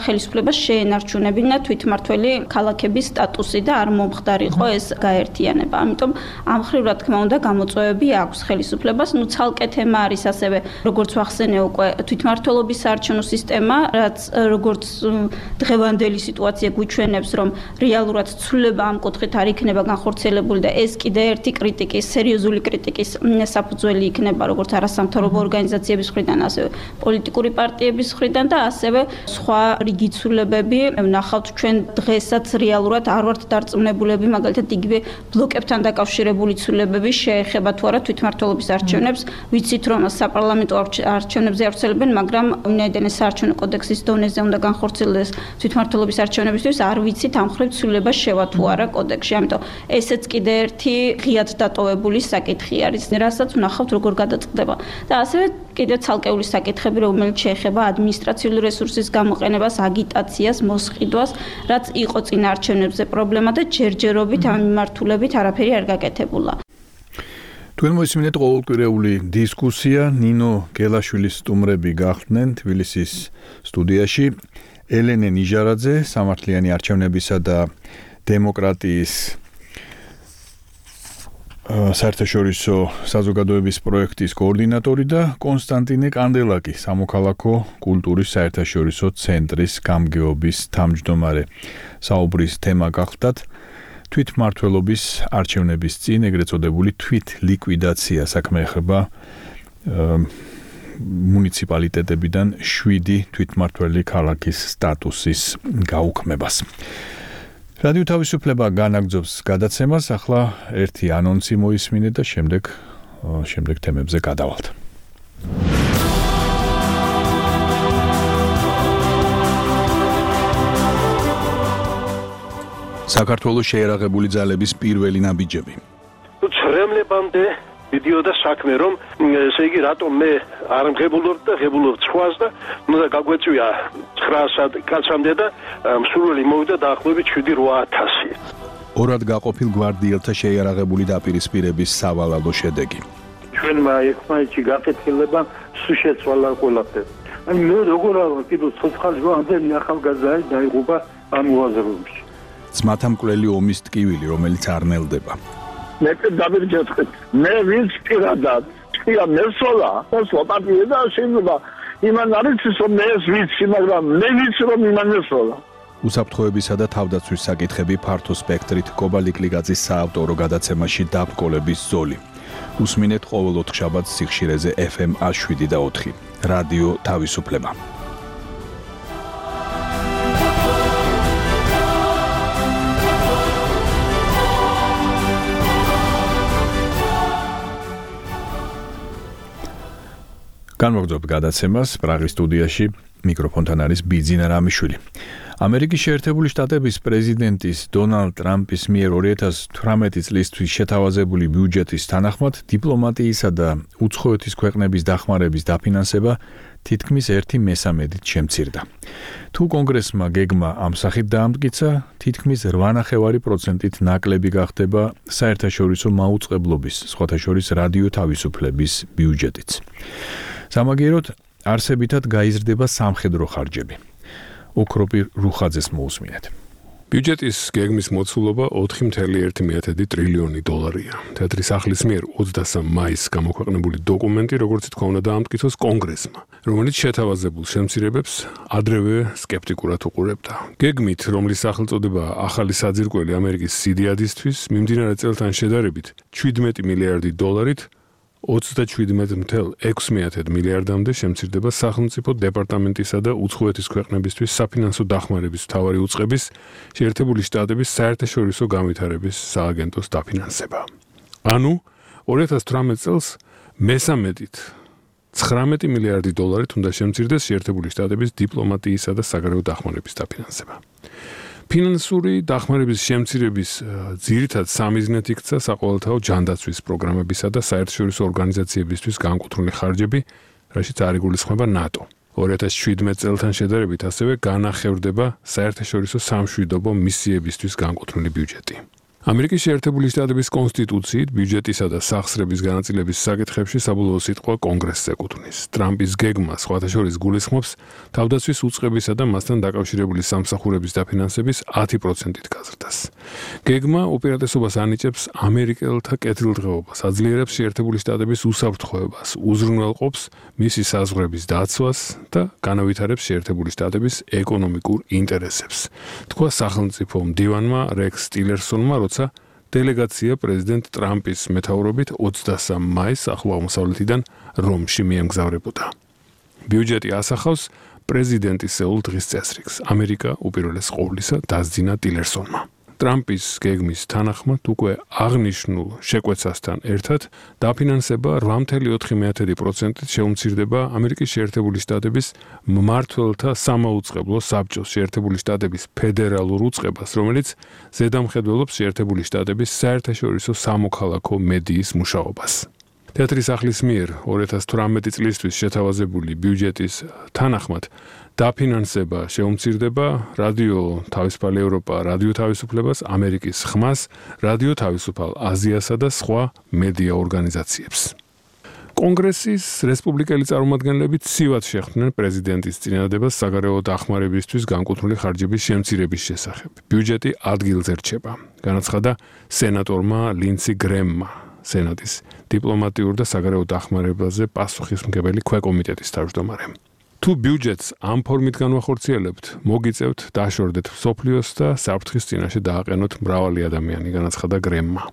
ხელისუფლება შეენარჩუნებინა თვითმმართველი ქალაქების სტატუსი და არ მომხდარიყო ეს გაერთიანება. ამიტომ ამ მხრივ რა თქმა უნდა გამოწვევები აქვს ხელისუფლებას. ნუ ცალკე თემა არის ასევე, როგორც ვახსენე უკვე, თვითმმართველობის საარჩევნო სისტემა, რაც როგორც დღევანდელი სიტუაცია გვიჩვენებს, რომ რეალურად ცვლილება ამ კუთხით არ იქნება განხორციელებული და ეს კიდე ერთი კრიტიკის, სერიოზული კრიტიკის საფუძველი იქნება, როგორც არასამთავრობო ორგანიზაციების მხრიდან, ასევე პოლიტიკური პარტიების მხრიდან და ასევე სხვა რიგი ცვლილებები ვნახავთ ჩვენ დღესაც რეალურად არ ვართ დარწმუნებულები, მაგალითად იგივე ბლოკებთან დაკავშირებული ცვლილებები შეეხება თუ არა თვითმმართველობის არჩევნებს. ვიცით, რომ საპარლამენტო არჩევნებზე ავრცელებენ, მაგრამ უნაიდან საარჩევნო კოდექსის დონეზე უნდა განხორციელდეს თვითმმართველობის არჩევნებისთვის, არ ვიცით ამ მხრივ ცვლილება შევა თუ არა კოდექსში. ამიტომ ესეც კიდე ერთი ღიად დატოვებული საკითხი არის, რასაც ვნახავთ როგორ გადაწყდება. და ასევე კიდევ ცალკეული საკითხები, რომელიც შეეხება ადმინისტრაციული რესურსის გამოყენებას, აგიტაციას, მოსყიდვას, რაც იყო წინა არჩევნებზე პრობლემა და ჯერჯერობით ამ მიმართულებით არაფერი არ გაკეთებულა. თქვენ მოისმინეთ ყოველკვირეული დისკუსია, ნინო გელაშვილის სტუმრები გახდნენ თბილისის სტუდიაში, ელენე ნიჟარაძე, სამართლიანი არჩევნებისა და დემოკრატიის საერთაშორისო საზოგადოების პროექტის კოორდინატორი და კონსტანტინე კანდელაკი, სამოქალაქო კულტურის საერთაშორისო ცენტრის გამგეობის თავმჯდომარე. საუბრის თემა გახლდათ თვითმმართველობის არჩევნების წინ ეგრეთ წოდებული თვით ლიკვიდაცია, საქმე ეხება მუნიციპალიტეტებიდან შვიდი თვითმმართველი ქალაქის სტატუსის გაუქმებას. რადიო თავისუფლება განაგრძობს გადაცემას, ახლა ერთი ანონსი მოისმინეთ და შემდეგ შემდეგ თემებზე გადავალთ. საქართველოს შეერაღებული ძალების პირველი ნაბიჯები. ცრემლებამდე მიდიოდა საქმე, რომ ესე იგი რატომ მე არ მღებულობ და ღებულობ სხვას და უნდა გაგვეწვია ცხრაასად კაცამდე და მსურველი მოვიდა დაახლოებით შვიდი რვა ათასი. ორად გაყოფილ გვარდიელთა შეიარაღებული დაპირისპირების სავალალო შედეგი. ჩვენმა ერთმანეთში გაკეთილება სულ შეცვალა ყველაფერი. აი მე როგორ არა კიდევ ცოცხალი ამდენი ახალგაზრდა დაიღუპა ამ უაზროებში. ძმათა მკვლელი ომის ტკივილი, რომელიც არ ნელდება. მე დავირჯეთქეთ. მე ვინც პირადად წია მესოლა, მოსვა პარტია და შეიძლება იმან არის რომ მე ეს ვიცი, მაგრამ მე ვიცი რომ იმან მესოლა. უსაფრთხოებისა და თავდაცვის საკითხები ფართო სპექტრით კობალიკლიგაძის საავტორო გადაცემაში დაბრკოლების ზოლი. უსმინეთ ყოველ ოთხშაბათს სიხშირეზე ეფ ემ შვიდი და ოთხი. რადიო თავისუფლება. განმოგრძობთ გადაცემას პრაღის სტუდიაში მიკროფონთან არის ბიძინა რამიშვილი. ამერიკის შეერთებული შტატების პრეზიდენტის დონალდ ტრამპის მიერ ორი ათას თვრამეტი წლისთვის შეთავაზებული ბიუჯეტის თანახმად დიპლომატიისა და უცხოეთის ქვეყნების დახმარების დაფინანსება თითქმის ერთი მესამედით შემცირდა. თუ კონგრესმა გეგმა ამ სახით დაამტკიცა, თითქმის რვა ნახევარი პროცენტით ნაკლები გახდება საერთაშორისო მაუწყებლობის, სხვათა შორის რადიო თავისუფლების ბიუჯეტიც. სამაგიეროდ არსებითად გაიზრდება სამხედრო ხარჯები. ოქროპი რუხაძეს მოусმინეთ. ბიუჯეტის გეგმის მოცულობა ოთხი წუთი ერთი ტრილიონი დოლარია. თეთრი სახლის მიერ ოცდასამ მაისს გამოქვეყნებული დოკუმენტი, როგორც თქვა, უნდა დაამტკიცოს კონგრესმა, რომელიც შეთავაზებულ შემცირებებს ადრევე სკეპტიკურად უყურებდა. გეგმით, რომლის სახელწოდება ახალი საძირკველი ამერიკის სიდიადისთვის, მიმდინარე წელთან შედარებით შვიდმეტი მილიარდი დოლარით ოცდაშვიდმეტი წუთი ექვსი მილიარდამდე შემცირდება სახელმწიფო დეპარტამენტისა და უცხოეთის ქვეყნებისთვის საფინანსო დახმარების მთავარი უწყების შეერთებული შტატების საერთაშორისო განვითარების სააგენტოს დაფინანსება. ანუ ორი ათას თვრამეტ წელს მესამედით ცხრამეტი მილიარდი დოლარით უნდა შემცირდეს შეერთებული შტატების დიპლომატიისა და საგარეო დახმარების დაფინანსება. ფინანსური დახმარების შემცირების ძირითად სამიზნედ იქცა საყოველთაო ჯანდაცვის პროგრამებისა და საერთაშორისო ორგანიზაციებისთვის განკუთვნილი ხარჯები, რაშიც არ იგულისხმება ნატო. ორი ათას შვიდმეტ წელთან შედარებით ასევე განახევრდება საერთაშორისო სამშვიდობო მისიებისთვის განკუთვნილი ბიუჯეტი. ამერიკის შეერთებული შტატების კონსტიტუციით ბიუჯეტისა და სახსრების განაწილების საკითხებში საბოლოო სიტყვა კონგრესს ეკუთვნის. ტრამპის გეგმა სხვათა შორის გულისხმობს თავდაცვის უწყებისა და მასთან დაკავშირებული სამსახურების დაფინანსების ათი პროცენტით გაზრდას. გეგმა უპირატესობას ანიჭებს ამერიკელთა კეთილდღეობას, აძლიერებს შეერთებული შტატების უსაფრთხოებას, უზრუნველყოფს მისი საზღვრების დაცვას და განავითარებს შეერთებული შტატების ეკონომიკურ ინტერესებს. თქვა სახელმწიფო მდივანმა რექს ტილერსონმა, როცა დელეგაცია პრეზიდენტ ტრამპის მეთაურობით ოცდასამ მაისს ახლო აღმოსავლეთიდან რომში მიემგზავრებოდა. ბიუჯეტი ასახავს პრეზიდენტის სეულ დღის წესრიგს. ამერიკა უპირველეს ყოვლისა დასძინა ტილერსონმა. ტრამპის გეგმის თანახმად უკვე აღნიშნულ შეკვეცასთან ერთად დაფინანსება რვა წუთი ოთხი პროცენტით შეუმცირდება ამერიკის შეერთებული შტატების მმართველთა სამაუწყებლო საბჭოს შეერთებული შტატების ფედერალურ უწყებას, რომელიც ზედამხედველობს შეერთებული შტატების საერთაშორისო სამოქალაქო მედიის მუშაობას. თეთრი სახლის მიერ ორი ათას თვრამეტი წლისთვის შეთავაზებული ბიუჯეტის თანახმად დაფინანსება შეუმცირდება რადიო თავისუფალი ევროპა, რადიო თავისუფლებას, ამერიკის ხმას, რადიო თავისუფალ აზიასა და სხვა მედია ორგანიზაციებს. კონგრესის რესპუბლიკელი წარმომადგენლები ცივად შეხვდნენ პრეზიდენტის წინადადებას საგარეო დახმარებისთვის განკუთვნილი ხარჯების შემცირების შესახებ. ბიუჯეტი ადგილზე რჩება, განაცხადა სენატორმა ლინდსი გრემმა, სენატის დიპლომატიურ და საგარეო დახმარებაზე პასუხისმგებელი ქვეკომიტეტის თავმჯდომარემ. თუ ბიუჯეტს ამ ფორმით განვახორციელებთ, მოგიწევთ დაშორდეთ მსოფლიოს და საფრთხის წინაშე დააყენოთ მრავალი ადამიანი, განაცხადა გრემმა.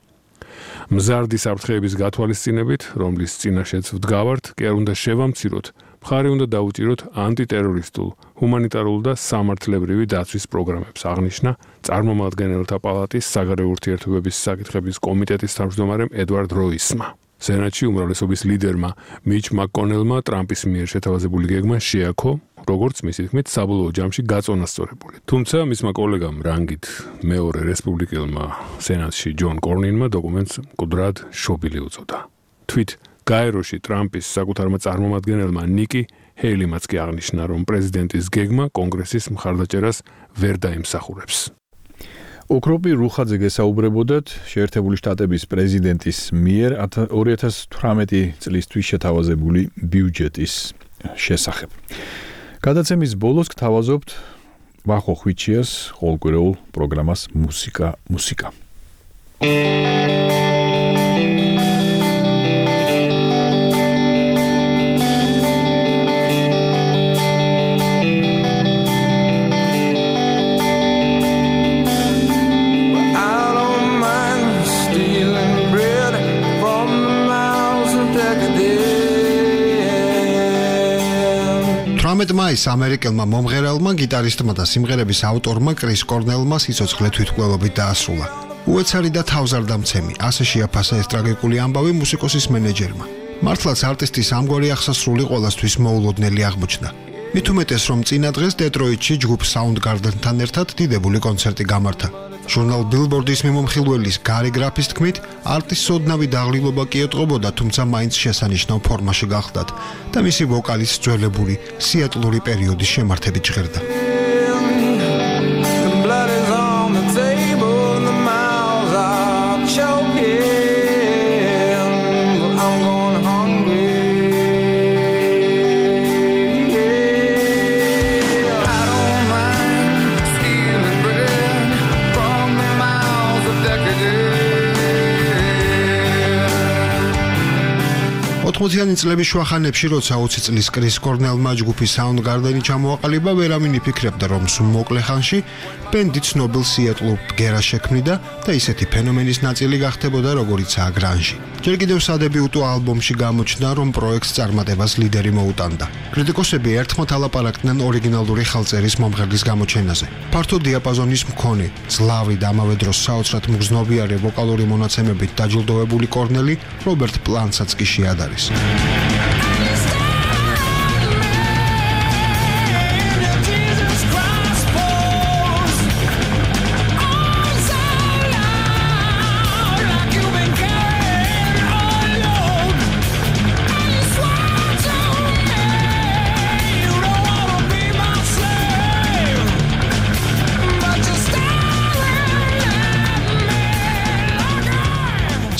მზარდი საფრთხეების გათვალისწინებით, რომლის წინაშეც ვდგავართ, კი არ უნდა შევამციროთ, მხარი უნდა დაუჭიროთ ანტიტერორისტულ, ჰუმანიტარულ და სამართლებრივი დაცვის პროგრამებს, აღნიშნა წარმომადგენელთა პალატის საგარეო ურთიერთობების საკითხების კომიტეტის თავმჯდომარემ ედვარდ როისმა. სენატში უმრავლესობის ლიდერმა მიჩ მაკკონელმა ტრამპის მიერ შეთავაზებული გეგმა შეაქო, როგორც მისი თქმით, საბოლოო ჯამში გაწონასწორებული. თუმცა მისმა კოლეგამ რანგით მეორე რესპუბლიკელმა სენატში ჯონ კორნინმა დოკუმენტს მკვდრად შობილი უწოდა. თვით გაეროში ტრამპის საკუთარმა წარმომადგენელმა ნიკი ჰეილიმაც კი აღნიშნა, რომ პრეზიდენტის გეგმა კონგრესის მხარდაჭერას ვერ დაიმსახურებს. ოქროპი რუხაძე გესაუბრებოდათ შეერთებული შტატების პრეზიდენტის მიერ ორი ათას თვრამეტი წლისთვის შეთავაზებული ბიუჯეტის შესახებ. გადაცემის ბოლოს გთავაზობთ ვახო ხვიჩიას ყოველკვირეულ პროგრამას მუსიკა მუსიკა. თვრამეტ მაისს ამერიკელმა მომღერალმა, გიტარისტმა და სიმღერების ავტორმა კრის კორნელმა სიცოცხლე თვითმკვლელობით დაასრულა. უეცარი და თავზარდამცემი, ასე შეაფასა ეს ტრაგიკული ამბავი მუსიკოსის მენეჯერმა. მართლაც არტისტის ამგვარი აღსასრული ყველასთვის მოულოდნელი აღმოჩნდა. მით უმეტეს, რომ წინა დღეს დეტროიტში ჯგუფ Soundgarden-თან ერთად დიდებული კონცერტი გამართა. ჟურნალ Billboard-ის მიმომხილველის გარი გრაფის თქმით, არტისტს ოდნავი დაღლილობა კი ეტყობოდა, თუმცა მაინც შესანიშნავ ფორმაში გახლდათ და მისი ვოკალის ძველებური სიატლური პერიოდის შემართებით ჟღერდა. ოთხმოციანი წლების შუახანებში, როცა ოცი წლის კრის კორნელმა ჯგუფის Soundgarden-ი ჩამოაყალიბა, ვერავინ იფიქრებდა, რომ სულ მოკლე ხანში ბენდი ცნობილ სიეტლურ ბგერას შექმნიდა და ისეთი ფენომენის ნაწილი გახდებოდა, როგორიცაა გრანჟი. ჯერ კიდევ სადებიუტო ალბომში გამოჩნდა, რომ პროექტს წარმატებას ლიდერი მოუტანდა. კრიტიკოსები ერთხმად ალაპარაკდნენ ორიგინალური ხელწერის მომღერლის გამოჩენაზე. ფართო დიაპაზონის მქონე, ძლავრი და ამავე დროს საოცრად მგრძნობიარე ვოკალური მონაცემებით დაჯილდოვებული კორნელი რობერტ პლანტსაც კი შეადარეს.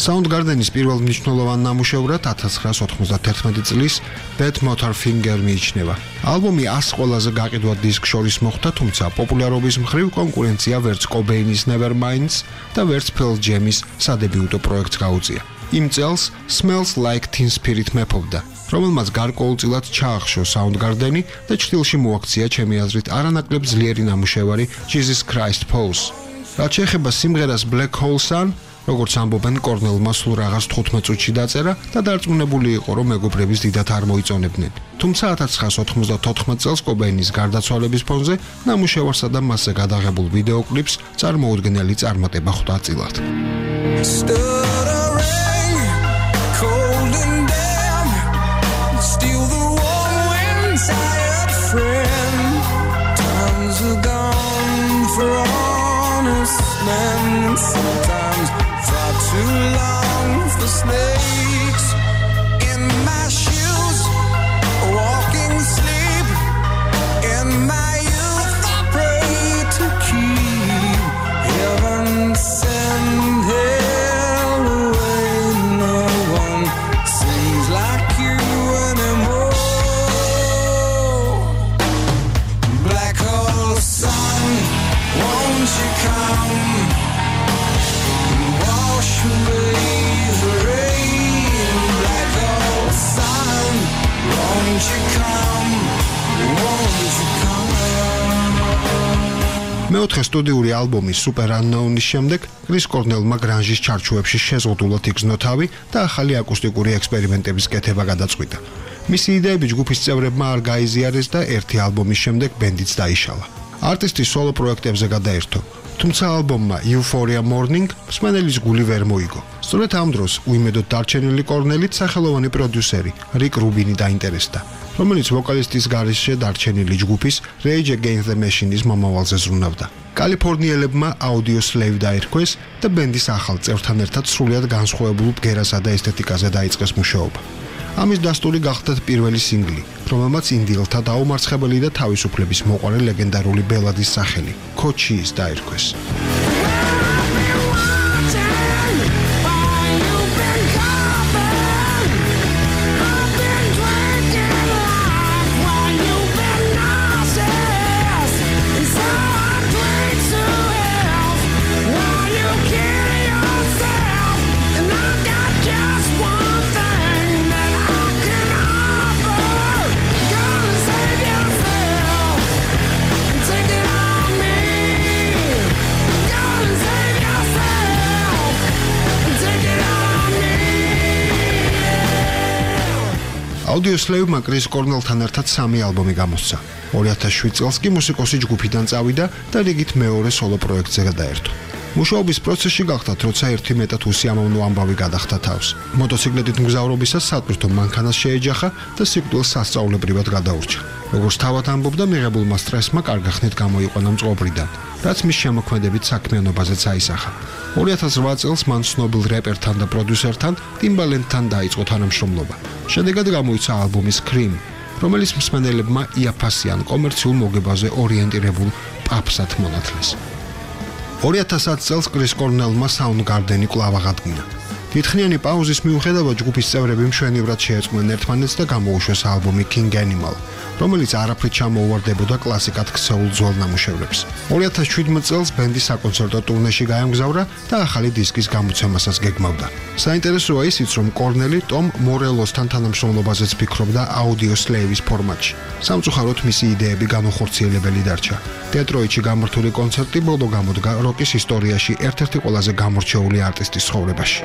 Soundgarden-ის პირველ მნიშვნელოვან ნამუშევრად ათას ცხრაას ოთხმოცდათერთმეტი წლის Bad Motorfinger მიიჩნევა. ალბომი ას ყველაზე გაყიდვად დისკ შორის მოხვდა, თუმცა პოპულარობის მხრივ კონკურენცია ვერც Cobain-ის Neverminds და ვერც Pearl Jam-ის სადებიუტო პროექტს გაუწია. იმ წელს Smells Like Teen Spirit მეფობდა, რომელმაც გარკვეულწილად ჩაახშო Soundgarden-ი და ჭრილში მოაქცია ჩემი აზრით არანაკლებ ძლიერი ნამუშევარი Jesus Christ Pose. რაც შეეხება სიმღერას Black Hole Sun, როგორც ამბობენ, კორნელმა სულ რაღაც თხუთმეტ წუთში დაწერა და დარწმუნებული იყო, რომ მეგობრების დიდად არ მოიწონებდნენ. თუმცა ათას ცხრაას ოთხმოცდათოთხმეტ წელს Cobain-ის გარდაცვალების ფონზე ნამუშევარსა და მასზე გადაღებულ ვიდეო კლიპს წარმოუდგენელი წარმატება ხვდა წილად. Too long for snakes in my shoes, walking sleep in my youth. I pray to keep heaven send hell away. No one seems like you anymore. Black hole sun, won't you come? მეოთხე სტუდიური ალბომის Super Unknown-ის შემდეგ კრის კორნელმა გრანჟის ჩარჩოებში შეზღუდულად იგრძნო თავი და ახალი აკუსტიკური ექსპერიმენტების კეთება გადაწყვიტა. მისი იდეები ჯგუფის წევრებმა არ გაიზიარეს და ერთი ალბომის შემდეგ ბენდიც დაიშალა. არტისტი სოლო პროექტებზე გადაერთო, თუმცა ალბომმა Euphoria Morning მსმენელის გული ვერ მოიგო. სწორედ ამ დროს უიმედოდ დარჩენილი კორნელით სახელოვანი პროდიუსერი რიკ რუბინი დაინტერესდა, რომელიც ვოკალისტის გარეშე დარჩენილი ჯგუფის Rage Against the Machine-ის მომავალზე ზრუნავდა. კალიფორნიელებმა Audioslave დაირქვეს და ბენდის ახალ წევრთან ერთად სრულიად განსხვავებულ ბგერასა და ესთეტიკაზე დაიწყეს მუშაობა. ამის დასტური გახდათ პირველი სინგლი, რომელმაც ინდიელთა დაუმარცხებელი და თავისუფლების მოყვარე ლეგენდარული ბელადის სახელი Cochise დაირქვეს. Audioslave-მა კრის კორნელთან ერთად სამი ალბომი გამოსცა. ორი ათას შვიდ წელს კი მუსიკოსი ჯგუფიდან წავიდა და რიგით მეორე სოლო პროექტზე გადაერთო. მუშაობის პროცესში გახდათ, როცა ერთი მეტად უსიამოვნო ამბავი გადახდა თავს. მოტოციკლეტით მგზავრობისას სატვირთო მანქანას შეეჯახა და სიკვდილს სასწაულებრივად გადაურჩა. როგორც თავად ამბობდა, მიღებულმა სტრესმა კარგი ხნით გამოიყვანა მწყობრიდან, რაც მის შემოქმედებით საქმიანობაზეც აისახა. ორი ათას რვა წელს მან ცნობილ რეპერთან და პროდიუსერთან ტიმბალენდთან დაიწყო თანამშრომლობა. შედეგად გამოიცა ალბომი Scream, რომელიც მსმენელებმა იაფასიან კომერციულ მოგებაზე ორიენტირებულ პაპსად მონათლეს. ორი ათას ათი წელს კრის კორნელმა Soundgarden-ი კვლავ აღადგინა. დიდხნიანი პაუზის მიუხედავად ჯგუფის წევრები მშვენივრად შეეწყვნენ ერთმანეთს და გამოუშვეს ალბომი King Animal, რომელიც არაფრით ჩამოუვარდებოდა კლასიკად ქცეულ ძველ ნამუშევრებს. ორი ათას შვიდმეტ წელს ბენდი საკონცერტო ტურნეში გაემგზავრა და ახალი დისკის გამოცემასაც გეგმავდა. საინტერესოა ისიც, რომ კორნელი ტომ მორელოსთან თანამშრომლობაზეც ფიქრობდა აუდიო სლეივის ფორმატში. სამწუხაროდ მისი იდეები განუხორციელებელი დარჩა. დეტროიტში გამართული კონცერტი ბოლო გამოდგა როკის ისტორიაში ერთ-ერთი ყველაზე გამორჩეული არტისტის ცხოვრებაში.